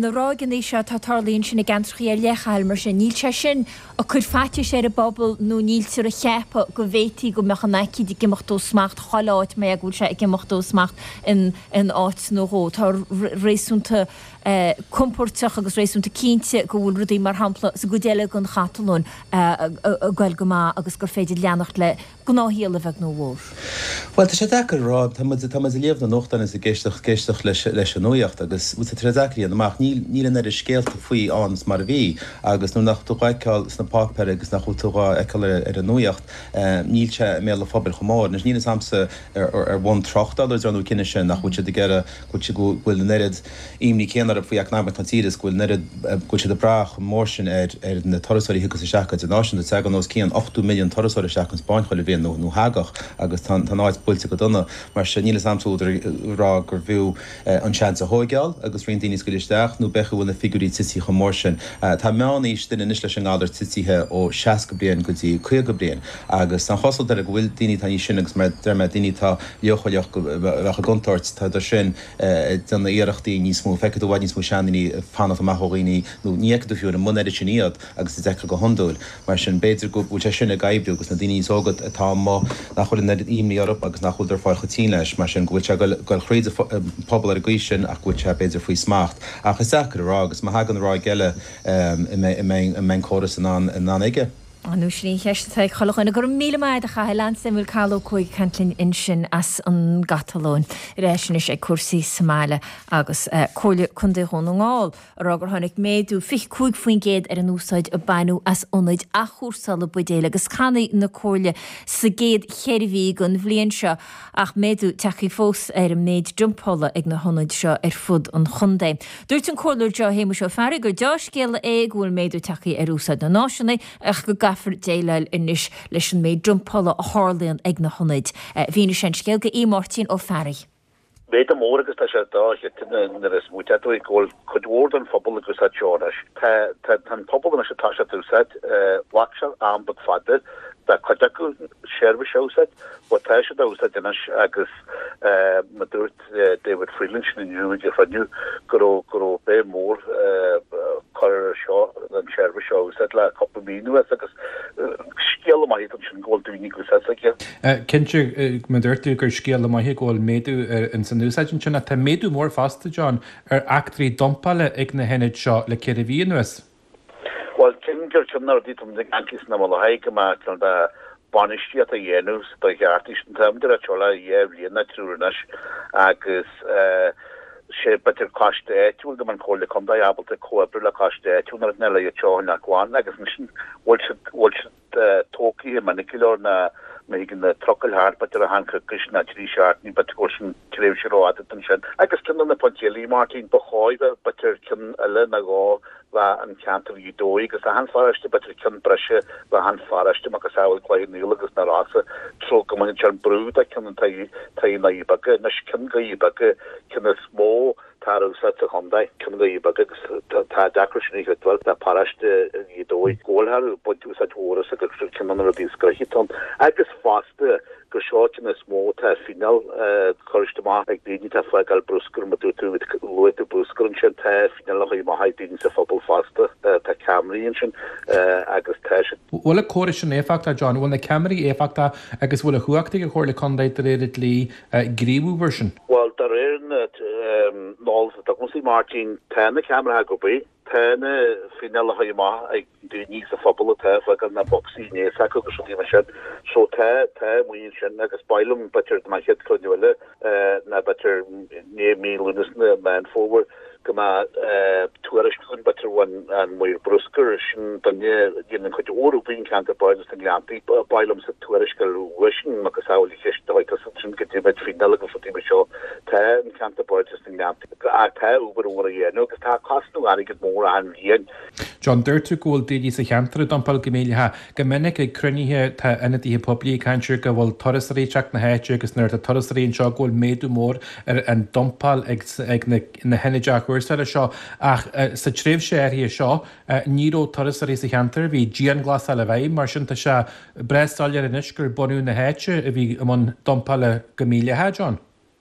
na ráigeanna seo atá ag tarlú ansin i gceantracha ar leith, a Chathail, mar sin, níl sé sin ag cur faitíos ar an bpobal nó níltear ag ceapadh go bhféadfaí go mbeadh an aicíd ag imeacht ó smacht chuile áit mar go bhfuil sé ag imeacht ó smacht in áit nó dhó. Tá réasúnta compóirteach agus réasúnta cinnte go bhfuil rudaí, mar shampla, sa gcuid eile den Chatalóin ag goil go maith agus gur féidir leanacht le gnáthshaol a bheag nó a mhór. Bhuel, tá sé deacair a rá. Tá muid, tá muid ag léamh na nuachtán is ag éisteacht, éisteacht leis, leis an nuaíocht agus, bhuel, tá sé deacair a dhéanamh amach. Níl, níl an oiread scéalta faoi ann is mar a bhí agus nuair nach bhfuil tú dhá fheiceáil sna páipéir agus nach bhfuil tú dhá fheiceáil ar, ar an nuaíocht, níl sé i mbéal an phobail chomh mór. Anois, níl fhios a'msa ar, ar, ar bhonn tráchtála ar nó cinneadh sin nach bhfuil siad ag iarraidh go bhfuil, go bhfuil an oiread imní céanna orthu faoi eacnamaíocht na tíre is go bhfuil an oiread, go bhfuil siad ag brath chomh mór sin ar, ar na turasóirí a thiocfas isteach go idirnáisiúnta. Tagann os cionn ochtó milliún turasóir isteach chun Spáinn chuile bhliain, nó, nó thagadh, agus tá an, tá an áit buailte go dona. Mar sin, níl fhios a'msa údar a rá gurbh fhiú an seans a thóigeáil agus roinnt daoine a scaoileadh isteach, nó b'fhéidir go bhfuil na figiúirí tití chomh mór sin. Tá meánaois duine anois leis an ngalar titithe ó seasca bliain go dtí caoga bliain, agus tá an chosúlacht air go bhfuil daoine atá níos sine agus mar a deir mé, daoine atá leochaileach go bheadh i gcontúirt, tá siad sin ag déanamh iarrachtaí níos mó, feicfidh tú i bhfad níos mó seandaoine ag fanacht amach ó dhaoine nó ní fheicfidh tú fiú ar an mbun oiread sin iad agus a d'fheicfeá go hiondúil. Mar sin, b'fhéidir go bhfuil sé sin ag oibriú agus na daoine níos óga atá amuigh nach bhfuil an oiread imní orthu agus nach bhfuil ag fáil chomh tinn leis, mar sin, go bhfuil sé ag goil thríd an pobal ar an gcaoi sin ach go bhfuil sé, b'fhéidir, faoi smacht. Ach is deacair a rá agus má thagann ráig eile, an mbeidh an córas in ann aige? Nó sin í an cheist atá ag chuile dhuine. Go raibh míle maith agat, a Chathail. Ann-Samuel Cathal Ó Cuaig ag caint linn ansin as an gCatalóin. Ar ais anois ag cúrsaí sa mbaile agus Comhairle Contae Dhún na nGall ag rá gur tháinig méadú fiche cúig faoin gcéad ar an úsáid a baineadh as ionaid athchúrsála buidéil agus cannaí na Comhairle sa gcéad cheithre mhí den bhliain seo ach méadú tagtha fós ar an méid dumpála ag na hionaid seo ar fud an chontae. Dúirt an Comhairleoir Joe Shéamuis Ó Fearraigh gur deá-scéala é go bhfuil méadú tagtha ar úsáid na n-áiseanna ach go gcaithfear déileáil anois leis an méid dumpála a tharlaíonn ag na hionaid. Mhínigh sé an scéal do Aodh Máirtín Ó Fearraigh. Méadú mór agus tá sé dochreidte nuair a smaoitíonn tú go bhfuil cuid mhór den phobal ag úsáid seo anois. Tá tá an pobal anois ag toiseacht úsáid, ghlac sé am beag fada do chuid acu seirbhís a úsáid, but tá siad á úsáid anois agus mar dúirt David Freeland sin inniu ag an chruinniú go raibh go raibh béim mhór curtha ar seo an tseirbhís seo a úsáid le cúpla mí anuas agus scéala maith ansin go bhfuil daoine ag úsáid s'aige. Cinnte, mar a dúirt tú gur scéala maith é go bhfuil méadú ins an úsáid ansin ach tá méadú mór fosta, John, ar eachtraí dumpála ag na hionaid seo le ceithre mhí anuas. Bhuel, cinn gur ceann de na rudaí atá muid ag caint sna Mullachaí go mbeadh cineál de bainistíocht a dhéanamh sa dóigh cheart. Tá muid ag rá seo le dhá bhliain nó triúr anois agus sé b'fhéidir coiste áitiúil go mbeadh an Chomhairle Contae ábalta comhoibriú le coiste áitiúil nuair atá le iad seo a choinneáil glan agus ansin bhfuil siad bhfuil siad tógtha minic go leor ná má thagann na trucail thart b'fhéidir achan coicís ná trí seachtainí b'fhéidir go bhfuil sin tréimhse rófhada ansin. Agus ceann de na pointí eile, Martin, ba chóir bheith b'fhéidir ceann eile nó dhó bheith an ceantar Ghaoth Dobhair agus achan pharóiste b'fhéidir ceann breise bheith achan pharóiste macasamhail Cloich Cheann Fhaola agus na Rosa treo go mbaineann sé an brú de ceann an taobh taobh na nDoirí Beaga anois ceann Dhoirí Beaga ceann is mó atá ar úsáid sa chontae ceann Dhoirí Beaga agus tá deacracht sin a chreidbheáil le paróiste Ghaoth Dobhair go bhfuil ag baint úsáid mhór as agus ceann de na rudaí is gnoithí atá ann agus fosta gur seo ceann is mó atá fíneáil curtha amach ag daoine atá ag fágáil bruscar mar dúirt tú luaigh tú bruscar ansin tá fíneáil á chur amach ag daoine sa phobal fosta tá ceamaraí ansin agus tá siad. Bhfuil an córas sin éifeachtach John? Bhfuil na ceamaraí éifeachtach agus bhfuil an chumhacht ag an Chomhairle Contae de réir an dlí gníomhú mar sin? Bhuel de réir na n-eolas atá agamsa Máirtín tá na ceamaraí ag obair. Tá na fíneálacha á chur amach ag daoine sa phobal atá ag fágáil na bocsaí aníos acu agus rudaí mar sin. So tá, tá amuigh ansin agus ba mhaith liom b'fhéidir don chéad chruinniú eile ná b'fhéidir i ndiaidh mí Lúnasa nó Meán Fómhair go mbeadh tuairisc againn b'fhéidir ón an maor bruscair, sin duine a dhéanann cuid mhór obair i gceantar Bardais na nGleanntaí. Ba mhaith liomsa tuairisc a fháil uaidhsean macasamhail an cheist a chuir tusa ansin goidé faoin Nollaig agus rudaí mar seo. Tá an ceantar Bardais na nGleanntaí ach tá obair mhór á dhéanamh agus tá cosnú airgead mór achan bhliain. John, dúirt tú go bhfuil daoine sa cheantar ag dumpáil go mídhleathach. Go minic ag cruinnithe tá ionadaithe poiblí ag caint ar go bhfuil turasóirí ag teacht na háite agus nuair atá turasóirí anseo go bhfuil méadú mór ar an dumpáil ag ag na na hionaid athchúrsála seo ach sa tréimhse áirithe seo ní raibh turasóirí sa cheantar, bhí dianghlasáil i bhfeidhm, mar sin tá sé breá soiléir anois gur bunadh na háite a bhí i mbun dumpála go mídhleathach, John.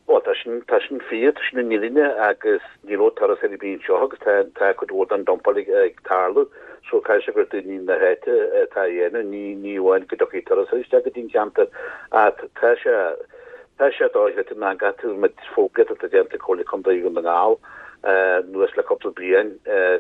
Bhuel, tá sin, tá sin fíor, tá sin an fhírinne agus ní raibh turasóirí ar bith anseo agus tá, tá cuid mhór den dumpáil ag, ag tarlú so caithfidh sé gur daoine na háite atá á dhéanamh, ní, ní amháin go dtiocfaidh turasóirí isteach go dtí an ceantar ach tá sé, tá sé dochreidte ná gcaithfidh muid fógraíocht atá déanta ag Comhairle Contae Dhún na nGall anuas le cúpla bliain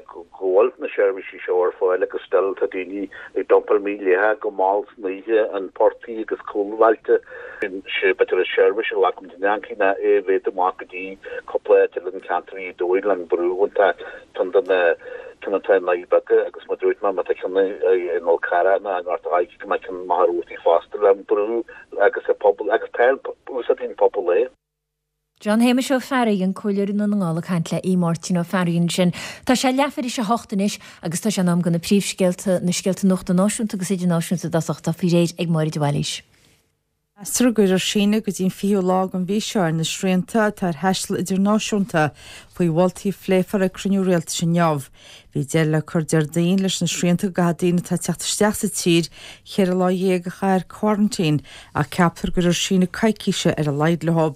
go bhfuil na seirbhísí seo ar fáil agus still tá daoine ag dumpáil mídhleathach go mall san oíche in portaigh agus cúlbhailte. Sé b'fhéidir an seirbhís a ghlac muid in ancaí ná é a mhéadú amach go dtí cúpla áit eile in ceantar Ghaoth Dobhair le an brú atá ceann de na ceann atá i nDoirí Beaga agus mar a dúirt mé má tá ceann i nCol Carra nó i nGort a' Choirce go mbeidh ceann i Machaire Rabhartaigh fosta le an brú agus an pobal agus tá úsáideann an pobal é. John Shéamais Ó Fearraigh, an Comhairleoir i nDún na nGall ag caint le Aodh Máirtín Ó Fearraigh ansin. Tá sé leathuair théis a hocht anois agus tá sé in am do na príomhscéalta, na scéalta nuachta náisiúnta agus idirnáisiúnta i dtosach atá faoi réir ag Máire de Bhailís. Meastar go gcuirfear síneadh go dtí an fichiú lá den mhí seo ar na srianta atá ar thaisteal idirnáisiúnta faoi mholtaí a phléifear ag cruinniú rialtais inniu. Bhí deireadh le cur Déardaoin leis na srianta go gcaithfidh daoine atá ag teacht isteach sa tír cheithre lá dhéag a chaitheamh ar quarantine ach ceaptar go gcuirfear síneadh coicíse ar a laghad leo.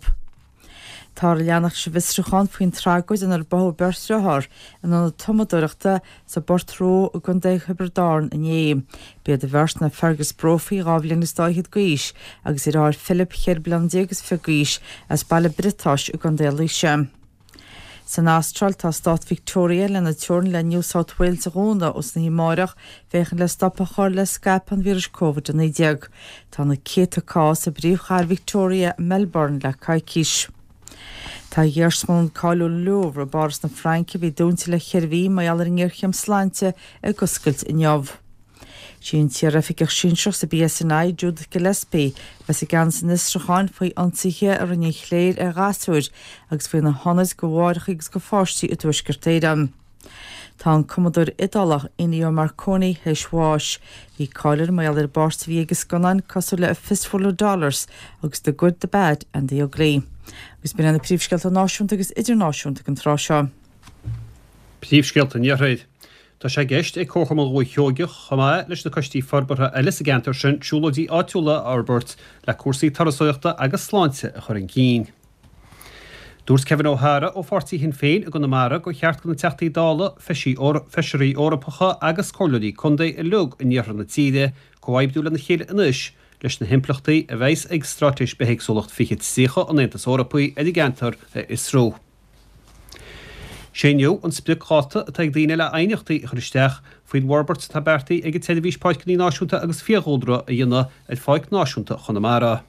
Táthar ag leanacht leis an bhfiosrúchán faoin tragóid inar báthadh beirt dhearthár in ionad tumadóireachta sa bPort Rua i gContae Thiobraid Árann inné. B'iad an bheirt ná Fergus Brophy, dhá bhliain is dá fhichead d'aois, agus a dheartháir Philip, cheithre bliana déag is fiche d'aois, as Baile Briotáis i gContae Laoise. San Astráil, tá stát Victoria lena teorainn le New South Wales a dhúnadh ós an oíche amárach féachaint le stop a chur le scaipeadh an víris Covid a naoi déag. Tá na céadta cás i bpríomhchathair Victoria, Melbourne, le coicís. Tá iarsmalann cáiliúil Louvre i bPáras na Fraince, a bhí dúnta le ceithre mhí mar gheall ar an ngéarchéim sláinte, ag oscailt inniu. Sí an t-iaroifigeach sinsearach sa BSNI, Judith Gillespie, a bheas i gceannas an fhiosrúcháin faoi ionsaithe a rinne an chléir ar ghasúir agus faoi na hionaid do mháithreacha agus do pháistí i dTuaisceart Éireann. Tá an cumadóir Iodálach Ennio Morricone théis bháis. Bhí cáil air mar gheall ar an bpáirt a bhí aige i scannáin cosúil le A Fistful of Dollars agus The Good, The Bad and The Ugly. Agus b'in iad na príomhscéalta náisiúnta agus idirnáisiúnta ag an tráth seo. Príomhscéalta an Iarthair. Tá sé i gceist ag Comharchumann Dhúiche Sheoigeach, chomh maith leis na coistí forbartha eile sa gceantar sin, siúlóidí áitiúla a fhorbairt le cúrsaí turasóireachta agus sláinte a chur chun cinn. Dúirt Kevin O'Hara ó pháirtí Shinn Féin i gConamara gur cheart do na Teachtaí Dála, Feisirí Eorpacha agus Comhairleoirí Contae uilig in iarthar na tíre comhoibriú lena chéile anois leis na himpleachtaí a bheas ag Straitéis Bithéagsúlacht fiche tríocha an Aontais Eorpaigh ar an gceantar a fhiosrú. Sé inniu an spriocdháta atá ag daoine le aighneachtaí a chur isteach faoin bhforbairt atá beartaithe ag an tSeirbhís Páirceanna Náisiúnta agus Fiadhúlra a dhéanamh ar Pháirc Náisiúnta Chonamara.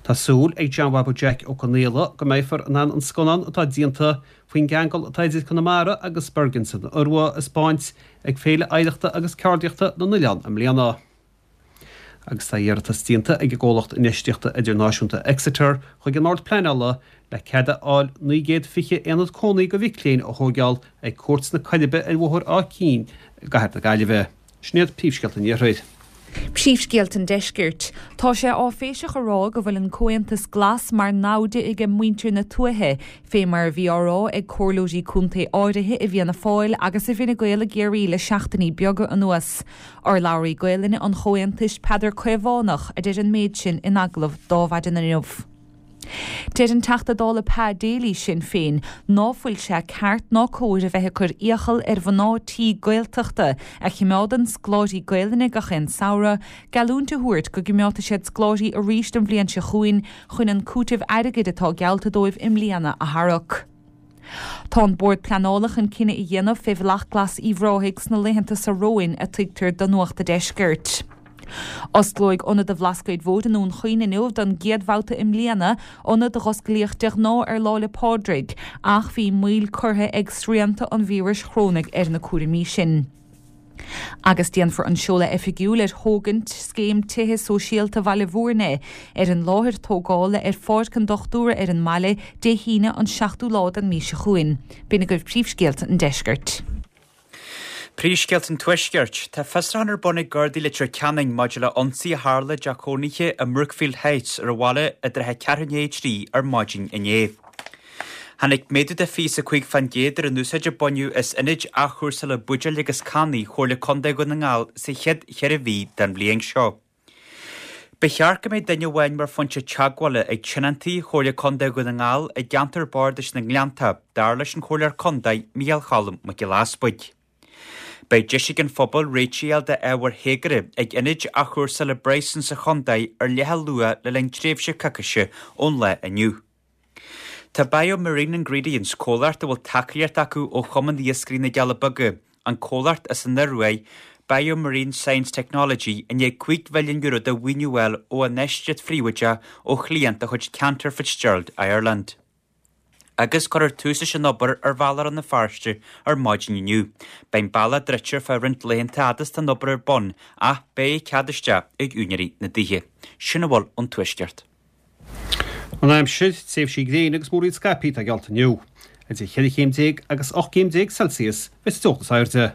Tá súil ag John Bhabaí Jack Ó Conaola go mbeifear in ann an scannán atá déanta faoin gceangal atá idir Conamara agus Bergen san Iorua a 'spáint ag Féile Oidhreachta agus Ceardaíochta na nOileán i mbliana. Agus tá iarratas déanta ag an gcomhlacht infheistíochta idirnáisiúnta Exeter chuig an mBord Pleanála le cead a fháil naoi gcéad fiche aonad cónaí do mhic léinn a thóigeáil ag Cúirt na Coiribe ar Bhóthar Áth Cinn i gCathair na Gaillimhe. Sin iad príomhscéalta an Iarthair. Príomhscéalta an Deiscirt. Tá sé áiféiseach a rá go bhfuil an Comhaontas Glas mar namhaid ag muintir na tuaithe, fé mar a bhí á rá ag comhairleoirí contae áirithe i bhFianna Fáil agus i bhFine Gael i gCiarraí le seachtainí beaga anuas. Urlabhraí Gaelainne an Chomhaontais Peadar Caomhánach a deir an méid sin in agallamh d'Adhmhaidin inniu. Deir an Teachta Dála Pa Daly Sinn Féin ná fuil sé ceart ná cóir a bheith ag cur iachall ar mhná tí Gaeltachta a chimeádann scoláirí Gaelainne gach aon samhradh, geallúint a thabhairt go gcimeádfaidh siad scoláirí arís an bhliain seo chugainn chun an cúiteamh airgid atá geallta dóibh i mbliana a tharrac. Tá an Bord Pleanála chun cinneadh a dhéanamh fé Bhealach Glas Uíbh Ráthaigh sna laethanta seo romhainn a tuigtear do Nuacht a' Deiscirt. Osclóidh Ionad an Bhlascaoid Mhóir i nDún Chaoin inniu don gcéad bhabhta i mbliana, ionad a dh'osclaíodh de ghnáth ar Lá 'le Pádraig, ach bhí moill curtha ag srianta an víris chorónaigh ar na cúraimí sin. Agus déanfar an seoladh oifigiúil ar thógaint Scéim Tithe Sóisialta Bhaile Bhúirne ar an láthair tógála ar Pháirc an Dochtúra ar an mbaile Dé hAoine an seachtú lá den mhí seo chugainn. B'in agaibh príomhscéalta an deiscirt. Príomhscéalta an Tuaiscirt. Tá fiosrúchán ar bun ag Gardaí Leitir Ceanainn maidir le ionsaí a tharla i dteach cónaithe i mBrookfield Heights ar an bhaile i dtrátha a ceathrú i ndiaidh a trí ar maidin inné. Tháinig méadú de fiche is a cúig fán gcéad ar an úsáid a baineadh as ionaid athchúrsála buidéil agus cannaí Chomhairle Contae Dhún na nGall sa chéad cheithre mhí den bhliain seo. Ba cheart go mbeadh duine amháin mar phointe teagmhála ag tionóntaí Chomhairle Contae Dhún na nGall i gceantar bardais na nGleannta, dar leis an Chomhairleoir Contae Micheál Cholm Mac Giolla Easbuig. Beidh deis ag an phobal réitigh a fháil d'ábhair théagartha ag ionaid athchúrsála Bryson sa chontae ar leath luath le linn tréimhse coicíse ón lá inniu. Tá Bio-Marine Ingredients, comhlacht a bhfuil tacaíocht acu ó Chumann Iascairí na gCealla Beaga, an comhlacht as an Ioruaidh, Bio-Marine Science Technology, i ndiaidh cúig mhilliún euro de mhaoiniú a fháil ó infheistíocht phríobháideach ó chliant de chuid Cantor Fitzgerald Ireland. Agus cuirfear tús leis an obair ar Bhealach Rann na Feirste ar maidin inniu. Beidh an bealach druidte ar feadh roinnt laethanta fhad is tá an obair ar bun ach beidh cead isteach ag úinéirí na dtithe. Sin a bhfuil ón Tuaisceart. An aimsir, tréimhsí gréine agus múraíl scaipthe atá geallta inniu. Idir cheithre chéim déag agus ocht gcéim déag Celsius a bheidh sa teocht is airde.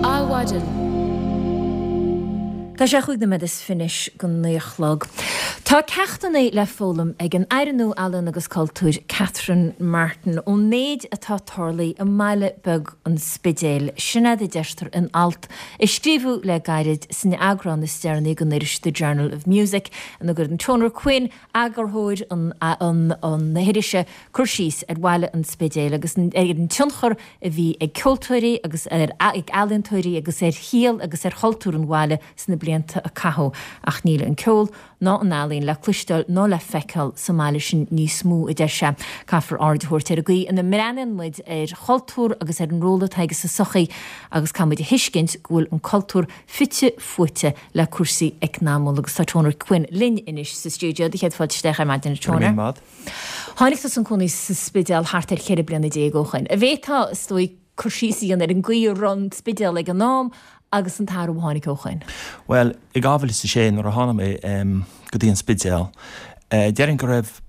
Adhmhaidin. Tá sé chúig nóiméad is fiche anois go naoi a chlog. Tá ceachtanna le foghlaim ag an Aire nua Ealaíon agus Cultúir Catherine Martin ón méid atá tarlaithe i mbaile beag an Spidéil. Sin é a deirtear in alt a scríobhadh le gairid san eagrán is deireanaí den iris The Journal of Music ina gcuireann Toner Quinn eagarthóir an na hirise, cur síos ar bhaile an Spidéil agus ar an tionchar a bhí ag ceoltóirí agus ar ag ealaíontóirí agus ar shaol agus ar chultúr an bhaile sna blianta a caitheadh. Ach níl an ceol ná an ealaín le cloisteáil ná le feiceáil sa mbaile sin níos mó, a deir sé. Caithfear aird a thabhairt ar an gcaoi ina mbreathnaíonn muid ar chultúr agus ar an ról atá aige sa tsochaí agus caithfidh muid a thuiscint go bhfuil an cultúr fite fuaite le cúrsaí eacnamúla agus tá Toner Quinn linn anois sa stiúideo. Do chéad fáilte isteach ar maidin, a Toner. Go raibh míle maith. Tháinig tusa chun cónaí sa Spidéal thart ar cheithre bliana déag ó shoin. An bhféadfá, is dóigh, cur síos a dhéanamh ar an gcaoi a raibh an Spidéal ag an am agus an t-athrú a tháinig ó shoin? Bhuel, i dhá mhíle is a sé nuair a tháinig mé go dtí an Spidéal, déarfainn go raibh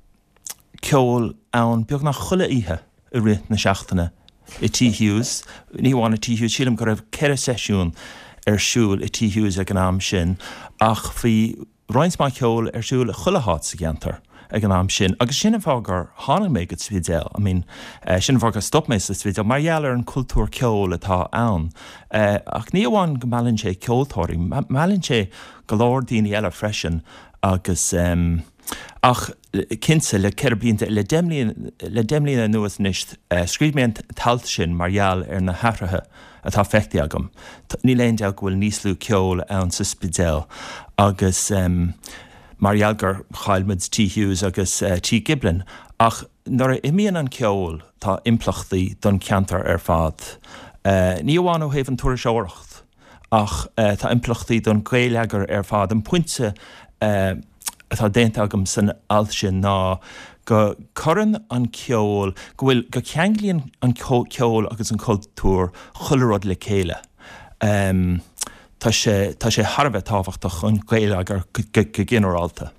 ceol ann beagnach chuile oíche i rith na seachtaine i Tí Hughes, ní amháin i Tí Hughes, sílim go raibh ceithre seisiún ar siúl i Tí Hughes ag an am sin ach bhí roinnt mhaith ceoil ar siúl i chuile háit sa gceantar ag an am sin agus sin an fáth gur tháinig mé go Spidéal, I mean sin an fáth gur stop mé sa Spidéal mar gheall ar an cultúr ceoil atá ann. Ach ní amháin go meallann sé ceoltóirí, meallann sé go leor daoine eile freisin agus ach cinnte le ceithre blianta, le deich mbliana, le deich mbliana anuas anois, scríobh mé an t-alt sin mar gheall ar na hathruithe atá feicthe agam. Níl aon dabht go bhfuil níos lú ceoil ann sa Spidéal agus mar gheall gur chaill muid Tí Hughes agus Tí Giblin ach nuair a imíonn an ceol tá impleachtaí don cheantar ar fad. Ní amháin ó thaobh an turasóireacht ach tá impleachtaí don gheilleagar ar fad. An pointe atá déanta agam san alt sin ná go cuireann an ceol, go bhfuil, go ceanglaíonn an ceol agus an cultúr chuile rud le chéile. Tá sé, tá sé thar a bheith tábhachtach don gheilleagar go ginearálta.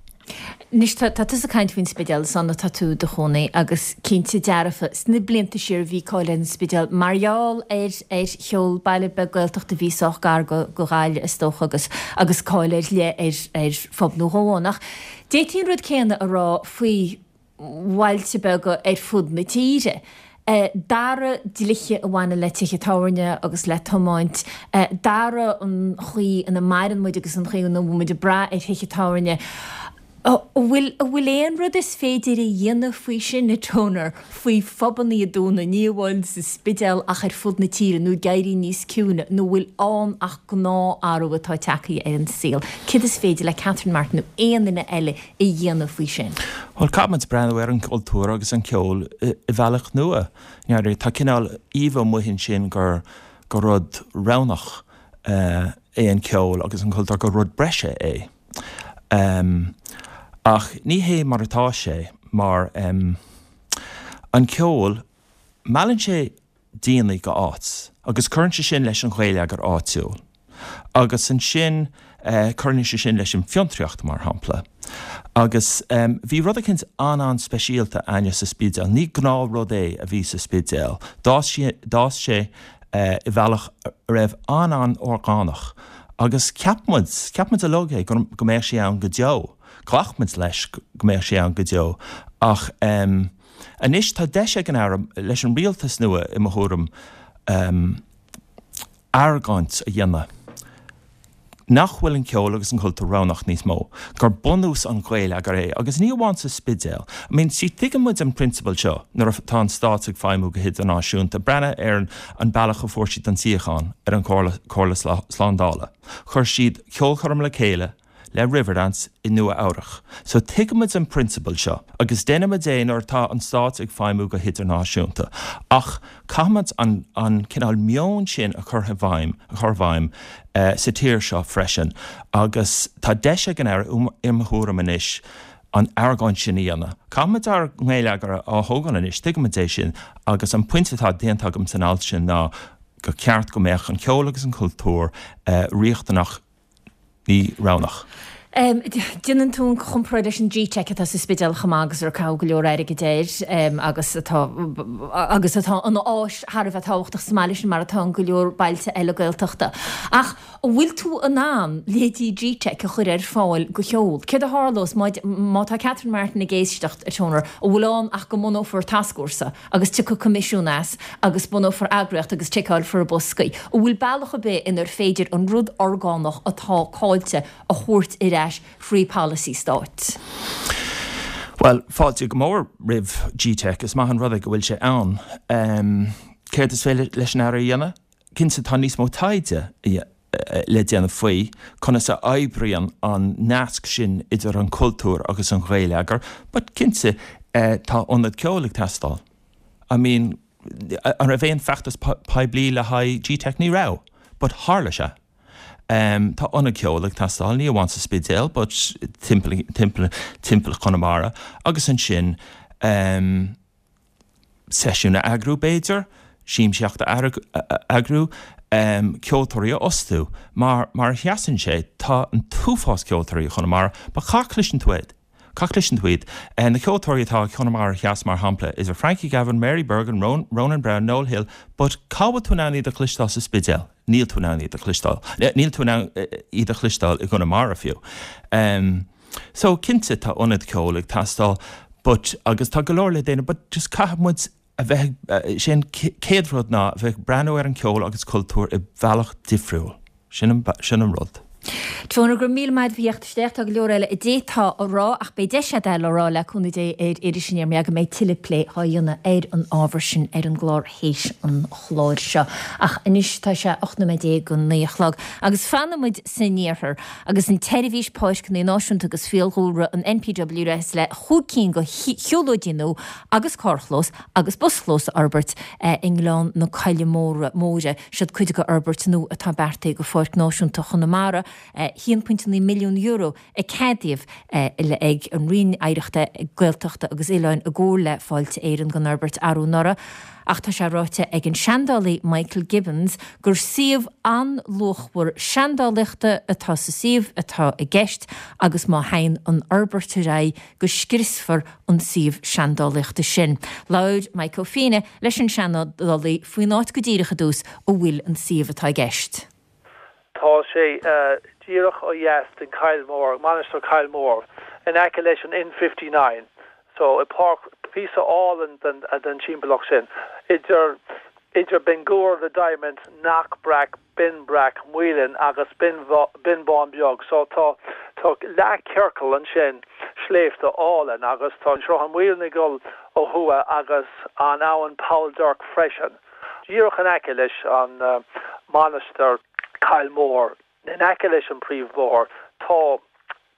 Anois tá tusa ag caint faoin Spidéal, is ann atá tú i do chónaí agus cinnte dearfa sna blianta siar bhí cáil ar an Spidéal mar gheall ar ar cheol, baile beag Gaeltachta a bhí sách gar go go Gaillimh is dócha agus agus cáil ar leith ar ar phub nó dhó ann. Ach d'fhéadfaí an rud céanna a rá faoi bhailte beaga ar fud na tíre. D'athraigh dlíthe a bhaineann le tithe tábhairne agus le tiomáint, d'athraigh an chaoi ina maireann muid agus an chaoi ina bhfuil muid ag brath ar thithe tábhairne. An bhfuil, an bhfuil aon rud is féidir a dhéanamh faoi sin, a Toner, faoi phubannaí a dúnadh, ní amháin sa Spidéal ach ar fud na tíre, nó ag éirí níos ciúine, nó an bhfuil ann ach gnáthathrú atá tagtha ar an saol? Céard is féidir le Catherine Martin nó aon duine eile a dhéanamh faoi sin? Bhuel, caithfidh muid breathnú ar an gcultúr agus an ceol i bhealach nua. Tá cineál íomha amuigh ansin gur gur rud roghnach é an ceol agus an cultúr, gur rud breise é. Ach ní hé mar atá sé, mar an ceol, meallann sé daoine go áit agus cuireann sé sin leis an gheilleagar áitiúil. Agus ansin cuireann sé sin leis an bhfiontraíocht, mar shampla. Agus bhí rud eicínt an-an-speisialta againne sa Spidéal. Ní gnáthrud é a bhí sa Spidéal. D'fhás sé, d'fhás sé i bhealach a raibh an-an-orgánach agus cheap muid, cheap muid uilig é, go mbeadh sé ann go deo. Ghlac muid leis go mbeadh sé ann go deo. Ach anois tá deis ag an Aire, leis an rialtas nua i mo thuairim, argóint a dhéanamh nach bhfuil an ceol agus an cultúr roghnach níos mó, gur bunús an gheilleagair é, agus ní amháin sa Spidéal. I mean, see, tuigeann muid an prionsabal seo nuair atá an stát ag feidhmiú go hidirnáisiúnta, breathnaigh ar an bealach a fuair siad an suíochán ar an Chomhairle Slándála. Chuir siad ceolchoirm le chéile le Riverdance i Nua Eabhrach. So tuigimid an prionsabal seo agus déanaimid é nuair atá an stát ag feidhmiú go hidirnáisiúnta. Ach caithfimid an an cineál meon sin a chur i bhfeidhm, a chur i bhfeidhm sa tír seo freisin agus tá deis ag an Aire, i mo thuairim anois, an argóint sin a dhéanamh. Caithfimid ár ngeilleagar a thógáil anois, tuigimid é sin agus an pointe atá déanta agam san alt sin ná gur ceart go mbeadh an ceol agus an cultúr riachtanach, ní roghnach. Déanann tú an chomparáid leis an G-Teic atá sa Spidéal chomh maith agus ar caitheadh go leor airgid air agus atá agus atá ina áis thar a bheith tábhachtach sa mbaile sin mar atá in go leor bailte eile Gaeltachta. Ach an bhfuil tú in ann leithéidí G-Teic a chur ar fáil do cheol? Céard a tharlós má má tá Catherine Martin ag éisteacht, a Toner, an bhfuil ann ach go mbunófar tascfhórsa agus tiocfaidh coimisiún as agus bunófar eagraíocht agus ticeálfar boscaí. An bhfuil bealach ar bith inar féidir an rud orgánach atá caillte a thabhairt ar ais thrí pholasaí stáit? Bhuel, fáilte go mór roimh G-Teic, is maith an rud é go bhfuil sé ann. Céard is féidir leis an Aire a dhéanamh? Cinnte tá níos mó taighde le déanamh faoi conas a oibríonn an nasc sin idir an cultúr agus an gheilleagar, but cinnte tá ionad ceoil ag teastáil. I mean, an raibh aon feachtas poiblí le haghaidh G-Teic? Ní raibh, but tharla sé. Tá ionad ceoil ag teastáil, ní amháin sa Spidéal, but timpeall, timpeall, timpeall Chonamara agus ansin seisiún a eagrú b'fhéidir, siamsaíocht a eagrú, ceoltóirí a fhostú. Mar, mar a sheasann sé, tá an t-uafás ceoltóirí i Chonamara, but cá gcloiseann tú iad? Cá gcloiseann tú iad? Na ceoltóirí atá i Conamara Theas, mar shampla, idir Frankie Gavin, Mary Bergin, Ronan Browne, Noel Hill, but cá bhfuil tú in ann iad a chloisteáil sa Spidéal? Níl tú in ann iad a chloisteáil. Níl tú in ann iad a chloisteáil i gConamara fiú. So, cinnte, tá ionad ceoil ag teastáil, but, agus tá go leor le déanamh, but just caithfidh muid a bheith, sé an chéad rud ná a bheith ag breathnú ar an cheol agus cultúr i bhealach difriúil. Sin an, sin an rud. Toner, go raibh míle maith agat as theacht isteach. Tá go leor eile a d'fhéadfá a rá ach beidh deis agat é le rá le cúnamh Dé ar Iris Aniar mar go mbeidh tuilleadh plé á dhéanamh ar an ábhar sin ar an gclár théis an chláir seo. Ach anois tá sé ocht nóiméad déag go naoi a chlog agus fanfaidh muid san iarthar agus an tSeirbhís Páirceanna Náisiúnta agus Fiadhúlra, an NPWS, le chúig cinn de shiúlóidí nua agus carrchlós agus buschlós a fhorbairt i nGleann na Coille Móire. Siod cuid de fhorbairt nua atá beartaithe do Pháirc Náisiúnta Chonamara. a haon pointe naoi milliún euro a ceadaíodh ag an Roinn Oidhreachta, Gaeltachta agus Oileáin i gcomhar le Fáilte Éireann don fhorbairt arú anuraidh. Ach tá sé ráite ag an seandálaí Michael Gibbons gur suíomh an-luachmhar seandálaíochta atá sa suíomh atá i gceist agus má théann an fhorbairt ar aghaidh go scriosfar an suíomh seandálaíochta sin. Labhair Maidhc Ó Fianna leis an seandálaí faoin áit go díreach i dtús a bhfuil an suíomh atá i gceist. Tá sé díreach ó dheas den Choill Mhór, Mainistir Choill Mhór, in aice leis an N fifty nine. So, i páirc, píosa álainn den den timpeallacht sin, idir idir Binn Gabhar, The Diamond, Knockbrack, Binn Breac, Maoilinn agus Binn Binn Bán Beag. So, tá tá leathchiorcal ansin, sléibhte álainn agus tá an Sruthán Mhaoilinn ag dul ó thuaidh agus an abhainn Poll Duirc freisin. Díreach in aice leis an Mainistir Coill Mhór, in aice leis an príomhbhóthar, tá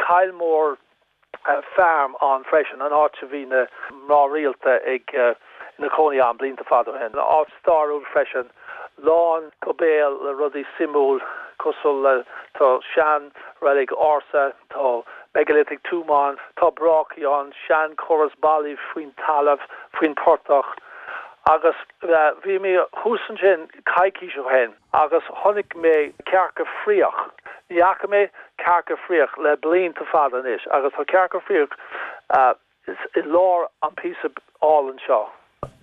Kylemore Farm ann freisin, an áit a bhí na mná rialta ag ina cónaí ann blianta fada ó shin. Áit stairiúil freisin, lán go béal le rudaí suimiúil cosúil le tá sean reilig ársa, tá megalithic tomb ann, tá brácaí ann, sean córas ballaí faoin talamh, faoin portach. Agus bhí mé thuas ansin coicís ó shin agus chonaic mé cearca fraoch. Ní fhaca mé cearca fraoch le blianta fada anois agus tá cearca fraoch i lár an píosa álainn seo.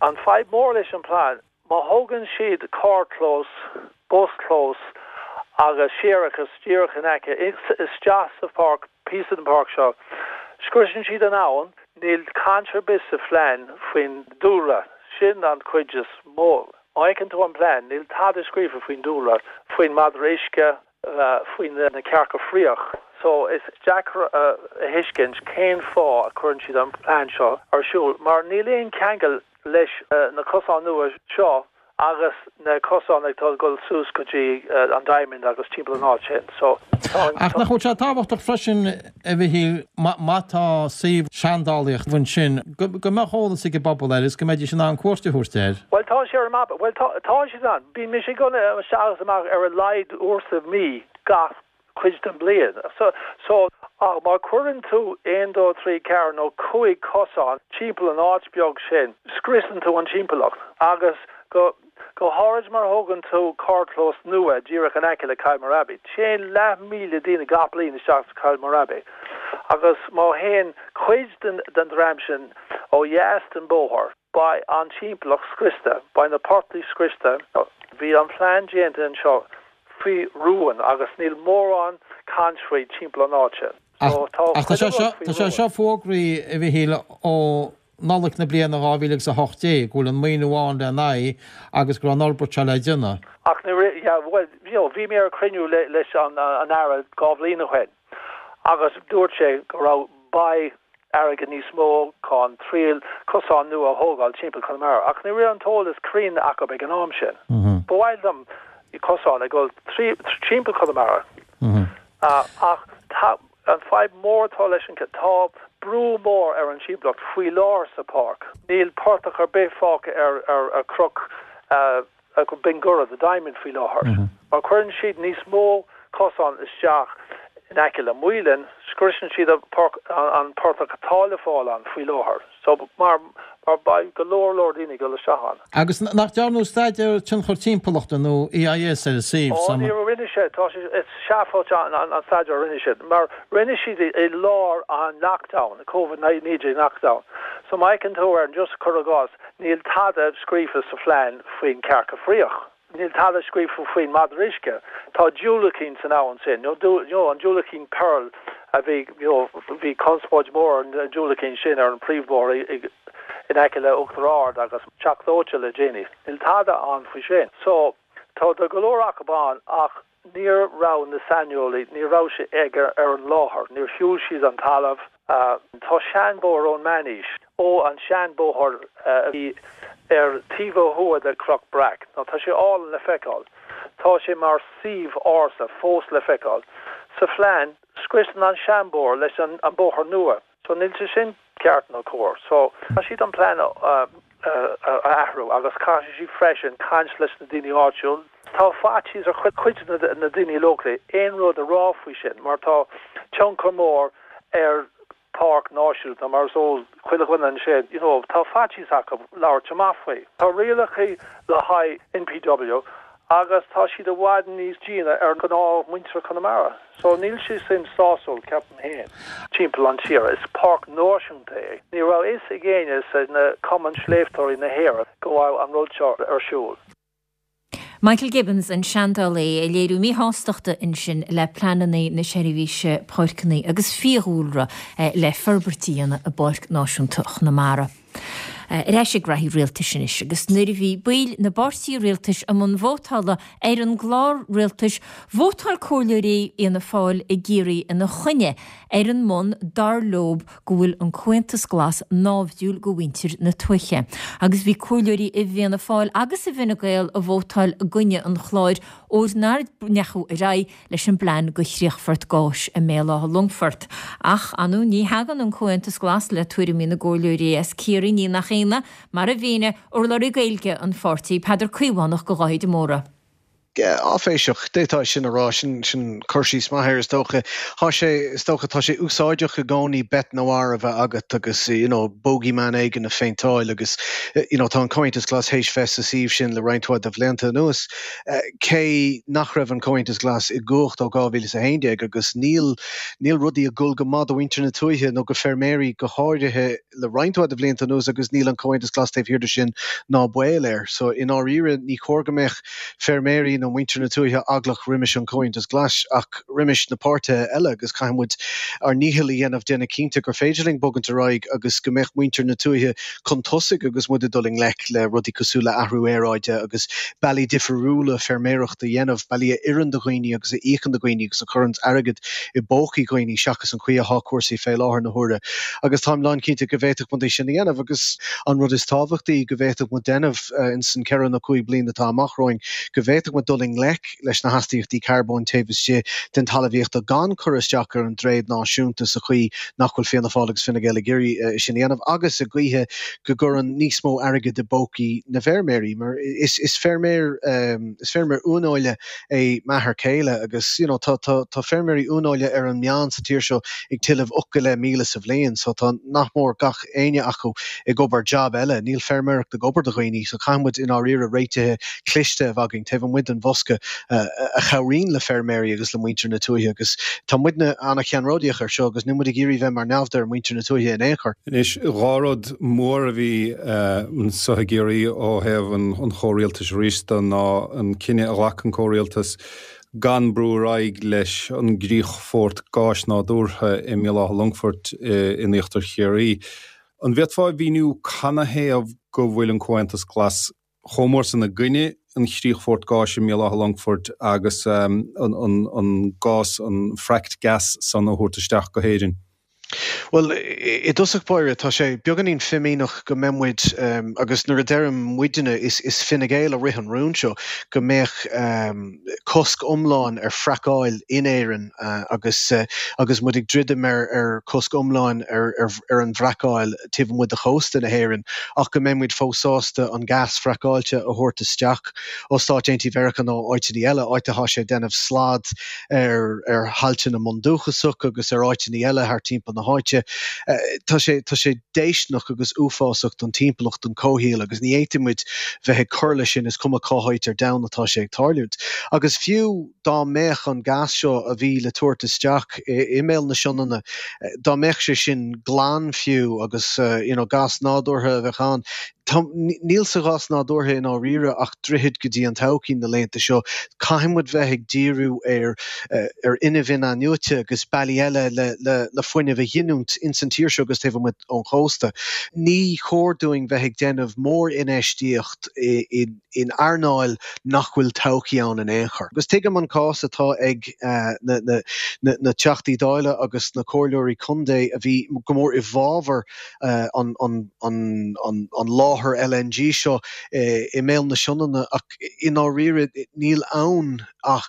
An fadhb mór leis an plean, má thógann siad carrchlós, buschlós agus séarachas díreach in aice isteach sa pháirc, píosa den pháirc seo, scriosann siad an abhainn, níl caint ar bith sa phlean faoin dúlra. Sin an chuid is mó. Má fheiceann tú an plean, níl tada scríofa faoin dúlra, faoin madra uisce, faoi na cearca fraoch. So is deacair a thuiscint cén fáth a cuireann siad an plean seo ar siúl, mar níl aon ceangal leis na cosáin nua seo agus na cosáin atá ag dul suas go dtí an Diamond agus timpeall an áit sin. So tá an. Ach nach bhfuil sé tábhachtach freisin, a Mhichíl, má tá suíomh seandálaíochta ansin, go mbeadh eolas ag an bpobal air is go mbeidís in ann cuairt a thabhairt air? Bhuel, tá sé ar an mapa. Bhuel, tá, tá sé ann. Bíonn mise ag dul isteach is amach ar a laghad uair sa mhí gach cuid den bliain. So, so, ach má cuireann tú aon, dó, trí, ceathair nó cúig cosán timpeall an áit beag sin, scriosann tú an timpeallacht agus go, go háirid mar thógann tú carrchlós nua díreach in aice le Kylemore Abbey. Téann leath míle daoine gach bliain isteach sa Kylemore Abbey agus má théann cuid den, den dream sin ó dheas den bóthar, beidh an timpeallacht scriosta, beidh na portaigh scriosta. Bhí an plean déanta anseo faoi rún agus níl mórán caint faoi timpeall an áit sin. So tá Ach tá chuile sé rud seo, faoi tá sé rún. seo fógraithe, a Mhichíl, ó Nollaig na bliana dhá mhíle agus a hocht déag, go bhfuil an maoiniú ann lena aghaidh agus go raibh an fhorbairt seo le déanamh. Ach ní raibh, yeah, bhuel, you know, bhí mé ar cruinniú le, leis an, an Aire dhá bhliain ó shin agus dúirt sé go raibh, beidh airgead níos mó chun triail cosán nua a thógáil timpeall Chonamara. Ach ní raibh an t-eolas cruinn acu ag an am sin. Ba mhaith liom cosán ag dul trí, timpeall Chonamara. Uh, ach tá, an fadhb mór atá leis an tá brú mór ar an timpeallacht faoi lár sa pháirc. Níl portach ar bith fágtha ar, ar, ar chnoc uh, Binn Gurra, the Diamond faoi láthair. Mar cuireann siad níos mó cosán isteach in aice le Maoilinn, scriosann siad an páirc, an, an portach atá le fáil ann faoi láthair. So mar, mar beidh go leor leor daoine ag dul isteach ann. Agus nach ndearnadh staidéar tionchar timpeallachta nó E I S ar an suíomh? Ó, Sam? ní rinne sé, tá sé, is seafóid an, an, an staidéar a rinne siad, mar rinne siad i, i lár an lockdown, Covid naoi déag lockdown. So má fheiceann tú ar an just cur i gcás, níl tada scríofa sa phlean faoin cearca fraoch. Níl tada scríofa faoin madra uisce. Tá diúracán san abhainn sin, nó dú, you know, an diúracán Pearl a bhí, you know, bhí conspóid mór an diúracán sin ar an príomhbhóthar i, i, in aice le Uachtar Ard agus Teach Dóite le déanaí. Níl tada ann faoi sin. So tá do go leor acu ann ach níor raibh na saineolaí, ní raibh sé ag ar, ar an láthair, níor shiúil siad an talamh. Uh, tá seanbhóthar ón meánaois ó an seanbhóthar uh, a bhí ar taobh ó thuaidh de Chnoc Breac. Nó tá sé álainn le feiceáil. Tá sé mar suíomh ársa fós le feiceáil. Sa phlean scriosann an seanbhóthar leis an, an bóthar nua. So níl sé sin ceart nó cóir. So tá siad an plean uh, uh, a athrú agus caithfidh siad freisin caint leis na daoine áitiúil. Tá faitíos ar chuid chuid na, na daoine locally aon rud a rá faoi sin, mar tá tionchar mór ar páirc náisiúnta mar so chuile dhuine ansin, you know, tá faitíos acu labhairt amach faoi. Tá rialacha le haghaidh N P W agus tá siad i bhfad níos déine ar gnáth muintir Chonamara. So níl sé sin sásúil ceapaim féin. Timpeall an tír is páirc náisiúnta é. Ní raibh fhios ag éinne sa na Cumann Sléibhteoirí na hÉireann go bhfuil an rud seo ar siúl. Michael Gibbons an seandálaí ag léiriú míshástachta ansin le pleananna na seirbhíse páirceanna agus fiadhúlra eh, le forbairt a dhéanamh i bPáirc Náisiúnta Chonamara. Ar ais ag reithí rialtais anois agus nuair a bhí baill na bpáirtithe rialtais i mbun vótála ar an gclár rialtais, vótáil comhairleoirí Fhianna Fáil i gCiarraí ina choinne. ar an mbonn dar leob go bhfuil an Comhaontas Glas náimhdiúil go mhuintir na tuaithe. Agus bhí comhairleoirí i bhFianna Fáil agus i bhFine Gael a vótáil i gcoinne an chláir óir nár ndeachadh ar aghaidh leis an bplean go chríochfort gáis i mBéal Átha Longfoirt. Ach anu ní thagann an Comhaontas Glas le tuairimí na gcomhairleoirí as Ciarraí, ní nach ionadh, mar a mhínigh urlabhraí Gaeilge an pháirtí, Peadar Caomhánach go Dháithí de Mórdha. Áiféiseach, d'fhéadfá sin a rá, sin sin cur síos maith air is dócha. Tá sé, is dócha, tá sé úsáideach i gcónaí bête noire a bheith agat agus you know bogeyman éigin a phéinteáil agus you know tá an Comhaontas Glas théis bheith sa suíomh sin le roinnt mhaith de bhlianta anuas. Cé nach raibh an Comhaontas Glas i gcumhacht ó dhá mhíle is a haon déag agus níl níl rudaí ag dul go maith do mhuintir na tuaithe nó go feirmeoirí go háirithe le roinnt mhaith de bhlianta anuas agus níl an Comhaontas Glas taobh thiar de sin ná baol air. So i ndáiríre ní chóir go mbeadh feirmeoirí nó muintir na tuaithe eaglach roimis an Comhaontas Glas ach roimis na páirtithe eile agus caithfidh muid ár ndícheall a dhéanamh déanamh cinnte gur féidir linn bogaint ar aghaidh agus go mbeadh muintir na tuaithe chun tosaigh agus muid ag dul i ngleic le rudaí cosúil le athrú aeráide agus bealaí difriúla feirmeoireacht a dhéanamh, bealaí a oireann do dhaoine agus a íocann do dhaoine agus a chuireann airgead i bpócaí dhaoine seachas an chaoi atá cúrsaí fé láthair na huaire. Agus táim lánchinnte go bhféadfadh muid é sin a dhéanamh agus an rud is tábhachtaí go bhféadfadh muid déanamh ins an ceithre nó cúig bliana atá amach romhainn, go bhféadfadh muid dul i ngleic leis na hastaíochtaí carbóin taobh istigh den talmhaíocht gan cur isteach ar an dtréad náisiúnta sa chaoi nach bhfuil Fianna Fáil agus Fine Gael ag iarraidh é sin a dhéanamh agus i gcaoithe go gcuireann níos mó airgid i bpócaí na bhfeirmeoirí mar is is feirmeoir is feirmeoir uaineola é m'athair céile agus you know tá tá tá feirmeoirí uaineola ar an meán sa tír seo ag tuilleamh ocht go leith míle sa bhliain so tá nach mór gach éinne acu ag obair jab eile. Níl feirmeoireacht ag obair do dhaoine so caithfidh muid i ndáiríre réitithe cliste a bheith againn taobh amuigh den bhosca a chabhraíonn le feirmeoirí agus le muintir na tuaithe agus tá muidne an-cheannródaíoch ar seo agus níl muid ag iarraidh bheith mar naimhde ar mhuintir na tuaithe in aon chor. Anois, dhá rud mór a bhí anseo i gCiarraí ó thaobh an chomhrialtais arís de ná an cinneadh a ghlac an comhrialtas gan brú ar aghaidh leis an gcríochfort gáis nádúrtha i mBéal Átha Longfoirt in íochtar Chiarraí. An bhféadfá a mhíniú canathaobh go bhfuil an Comhaontas Glas chomh mór san i gcoinne an chríochfoirt gáis i mBéal Átha Longfoirt agus an gás, an fracked gas san a thabhairt isteach go hÉirinn? Bhuel, i dtosach báire, tá sé beagáinín fimíneach go mbeidh muid, agus nuair a deirim muidne, is Fine Gael a rith an rún seo, go mbeadh cosc iomlán ar fracáil in Éirinn agus agus muid ag druidim ar chosc iomlán ar an bhfracáil taobh amuigh de chósta na hÉireann ach go mbeidh muid fós sásta an gas fracáilte a thabhairt isteach ó Stáit Aontaithe Mheiriceá nó áiteanna eile, áit atá sé ag déanamh slad ar ar thailte na mbundúchasach agus ar áiteanna eile thart timpeall na háite. Tá sé tá sé déistineach agus uafásach don timpeallacht, don chomhshaol agus ní fhéadfaidh muid bheith ag cur leis sin, is cuma cá háit ar domhan atá sé ag tarlúint. Agus fiú dá mbeadh an gas seo a bhí le tabhairt isteach i mBéal na Sionainne, dá mbeadh sé sin glan fiú agus you know gas nádúrtha a bheadh ann, Tá, níl sa ghás nádúrtha i ndáiríre ach droichead go dtí an todhchaí na laethanta seo. Caithfidh muid bheith ag díriú ar ar fhuinneamh in-athnuaite agus bealaí eile le le le fuinneamh a ghiniúint ins an tír seo agus taobh amuigh ón chósta. Ní chóir dúinn bheith ag déanamh mór-infheistíocht i i in earnáil nach bhfuil todhchaí ann in aon chor. Agus tuigim an cás atá ag na na na na Teachtaí Dála agus na Comhairleoirí Contae a bhí go mór i bhfabhar an láthair L N G seo i mBéal na Sionainne ach i ndáiríre níl ann ach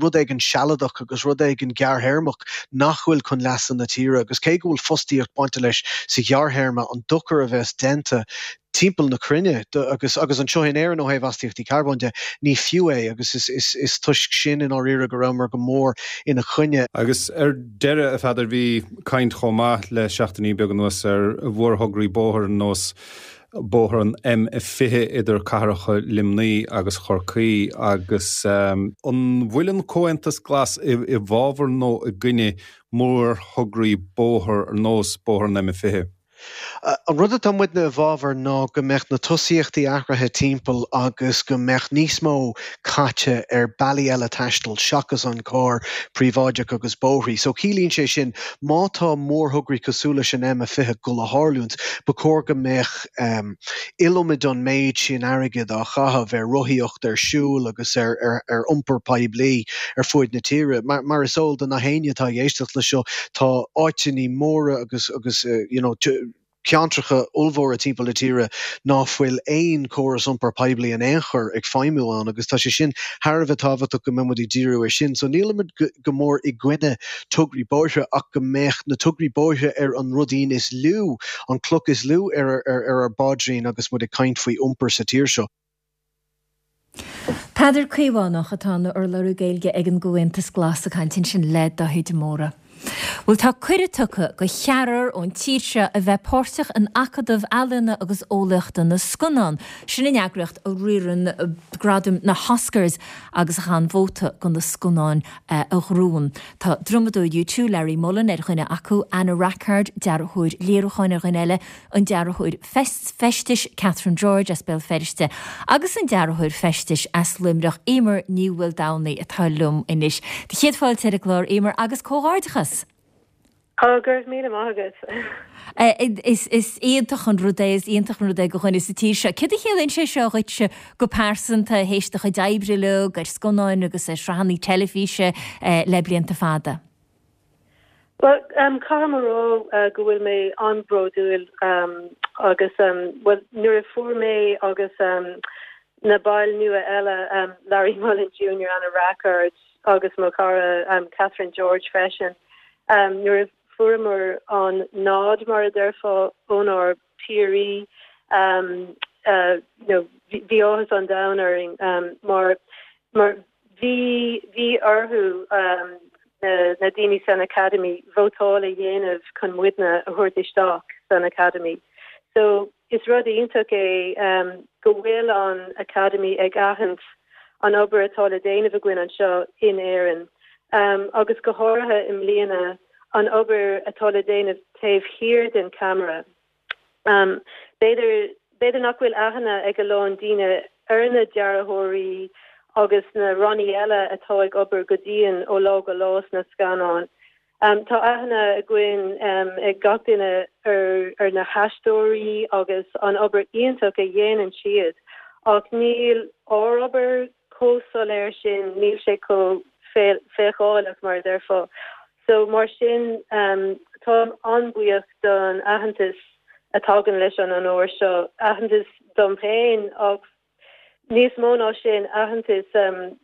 rud éigin sealadach agus rud éigin gearrthéarmach nach bhfuil chun leasa na tíre agus cé go bhfuil fostaíocht bainte leis sa ghearrthéarma an dochar a bheas déanta timpeall na cruinne agus agus anseo in Éirinn ó thaobh astaíochtaí carbóin de, ní fiú é agus is is is toisc sin i ndáiríre go rabhamar go mór ina choinne. Agus ar deireadh, a Pheadair, bhí caint chomh maith le seachtainí beaga anuas ar mhórthograí bóthair ar nós bóthar an M fiche idir cathracha Luimnigh agus Chorcaí agus an bhfuil an Comhaontas Glas i bhfabhar nó i gcoinne mórthograí bóthair ar nós bóthar an M fiche? An rud atá muidne i bhfabhar ná go mbeadh na tosaíochtaí athraithe timpeall agus go mbeadh níos mó caite ar bealaí eile taistil seachas an carr príobháideach agus bóithrí. So ciallaíonn sé sin má tá mórthograí cosúil leis an M a fiche ag dul a tharlúint, ba chóir go mbeadh iliomad an méid sin airgid á chaitheamh ar rothaíocht, ar siúl agus ar ar iompar poiblí ar fuaid na tíre. Mar is eol do na héinne atá ag éisteacht le seo, tá áiteanna móra agus agus you know ceantracha ollmhóra timpeall na tíre ná fuil aon chóras iompar poiblí in aon chor ag feidhmiú ann agus tá sé sin thar a bheith tábhachtach go mbeidh muid ag díriú air sin. So nílimid go mór i gcoinne tograí bóithre ach go mbeadh na tograí bóithre ar an ruidín is lú, an cloch is lú ar ar ár bpaidrín agus muid ag caint faoi iompar sa tír seo. Peadar Caomhánach atá ina urlabhraí Gaeilge ag an gComhaontas Glas ag caint ansin le Dáithí de Mórdha. Bhuel tá cuireadh tugtha do cheathrar ón tír seo a bheith páirteach in Acadamh Ealaíona agus Eolaíochta na Scannán. Sin an eagraíocht a riarann gradaim na hOscars agus a chaitheann vóta do na scannáin a ghnóthaíonn. Tá drumadóir U Two, Larry Mullen ar dhuine acu, Anna Rackard, dearthóir léiriúcháin ar dhuine eile, an dearthóir feistis Catherine George as Béal Feirste agus an dearthóir feistis as Luimneach, Eimear Ní Mhaoldomhnaigh atá liom anois. Do chéad fáilte ar an gclár, Eimear, agus comhghairdeachas! Ó, go raibh míle maith agat. Is is iontach an rud é, is iontach an rud é do dhuine sa tír seo. Céard a chiallaíonn sé seo dhuitse go pearsanta, théis do chuid oibre uilig ar scannáin agus ar shraitheanna teilifíse le blianta fada? Bhuel, caithfidh mé a rá go bhfuil mé an-bhródúil agus, bhuel, nuair a fuair mé agus na baill nua eile, Larry Mullen Junior, Anna Rackard agus mo chara Catherine George freisin, nuair a fuaireamar an nod, mar a déarfá, ónár bpiaraí, you know, bhí áthas an domhain orainn mar, mar Bhí, bhí orthu, na daoine san Academy, vótáil a dhéanamh chun muidne a thabhairt isteach san Academy. So, is rud iontach é go bhfuil an Academy ag aithint an obair atá le déanamh againn anseo in Éirinn, agus go háirithe i mbliana, an obair atá le déanamh taobh thiar den cheamara. B'fhéidir, b'fhéidir nach bhfuil aithne ag a lán daoine ar na dearthóirí agus na rannaí eile atá ag obair go dian ó lá go lá sna scannáin. Tá aithne againn ag gach duine ar ar na haisteoirí agus an obair iontach a dhéanann siad ach níl ár obair chomh soiléir sin, níl sé chomh feiceálach mar a déarfá. So mar sin táim an-bhuíoch don aitheantas a thagann leis an onóir seo, aitheantas dom féin ach níos mó ná sin, aitheantas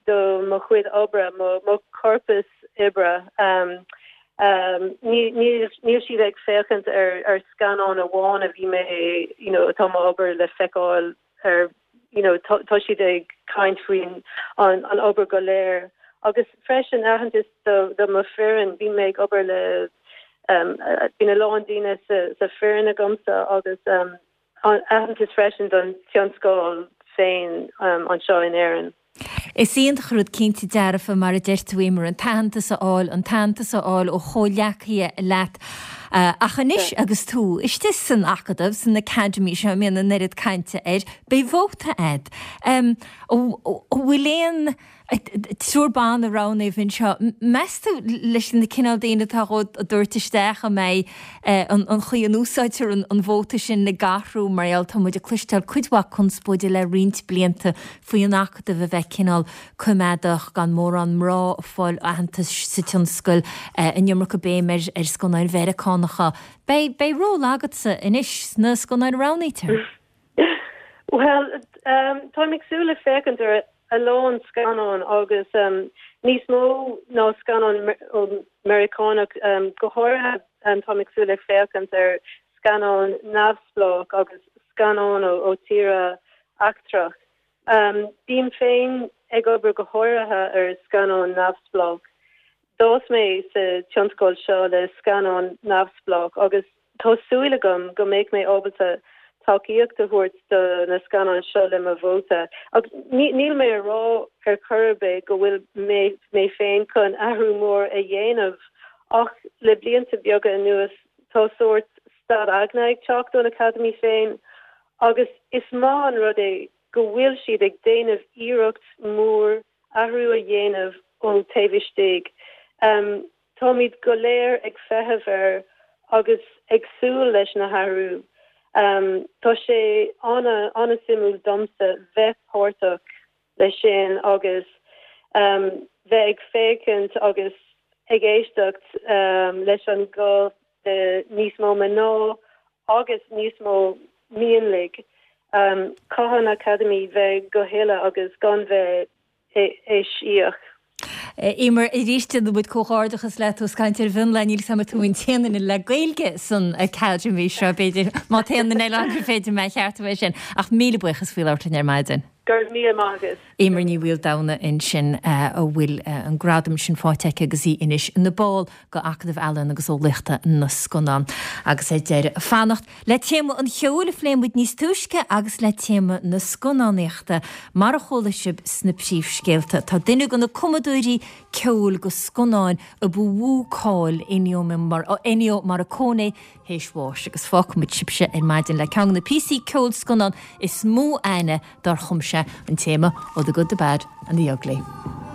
do mo chuid oibre, mo chorpas oibre. Níl siad ag féachaint ar scannán amháin a bhí mé, you know, atá m'obair le feiceáil ar, you know, tá siad ag caint faoin an obair go léir. Agus freisin aitheantas do do mo foireann, bíonn mé ag obair le bíonn a lán daoine sa sa foireann agamsa agus aitheantas freisin don tionscal féin anseo in Éirinn. Is iontach an rud cinnte dearfa, mar a deir tú, Eimear, an t-aitheantas a fháil, an t-aitheantas a fháil ó chomhghleacaithe leat. Ach anois agus tú istigh san Acadamh, san Academy seo a mbíonn an oiread cainte air, beidh vóta a'd. An bhfuil aon triúr ban a roghnaíodh anseo? Meas tú leis na cineál daoine atá á dtabhairt isteach an mbeidh an chaoi a n-úsáidtear an vóta sin ag athrú mar gheall tá muid ag cloisteáil cuid mhaith conspóide le roinnt blianta faoi an Acadamh a bheith cineál coimeádach, gan mórán mná ag fáil aitheantais sa tionscal, an iomarca béim ar ar scannáin Mheiriceánacha. Beidh beidh ról agatsa anois sna scannáin a roghnaítear. Bhuel, táim ag súil le féachaint ar a lán scannán agus níos mó ná scannán Meiriceánach, go háirithe táim ag súil le féachaint ar scannáin neamhspleách agus scannáin ó tíortha eachtrach. Bím féin ag obair go háirithe ar scannáin neamhspleách. D'fhás mé sa tionscal seo le scannáin neamhspleách agus tá súil agam go mbeidh mé ábalta tacaíocht a thabhairt do na scannáin seo le mo vóta. Ach níl mé a rá ar chor ar bith go bhfuil mé mé féin chun athrú mór a dhéanamh ach le blianta beaga anuas tá sórt staid aigne ag teacht ón Academy féin agus is maith an rud é go bhfuil siad ag déanamh iarracht mór athrú a dhéanamh ón taobh istigh. Táimid go léir ag feitheamh air agus ag súil leis na hathrú. Tá sé an-suimiúil domsa bheith páirteach leis sin agus bheith ag féachaint agus ag éisteacht leis an gá de níos mó mná agus níos mó mionlaigh. Caithfidh an Academy bheith go huile agus gan bheith eisiach. Eimear, arís déanann muid comhghairdeachas leat ós caint ar mhionlaigh, níl 'fhios a'm an tú an t-aon duine le Gaeilge san Academy seo, b'fhéidir, má tá aon duine eile ann gur féidir mé a cheartú é sin. Ach míle buíochas faoi labhairt linn ar maidin. Go raibh míle maith agat. Eimear Ní Mhaoldomhnaigh ansin a bhfuil an gradam sin faighte aici agus í anois ina ball de Acadamh Ealaíon agus Eolaíochta na Scannán. Agus ar deireadh, fanacht le téama an cheoil a phléigh muid níos túisce agus le téama na scannánaíochta, mar a chuala sibh sna príomhscéalta, tá duine de na cumadóirí ceoil do scannáin a ba mhó cáil, Ennio Morricone, théis bháis agus fágfaidh muid sibhse ar maidin le ceann de na píosaí ceoil scannán is mó aithne dár chum sé, an téama ó The Good, The Bad and The Ugly.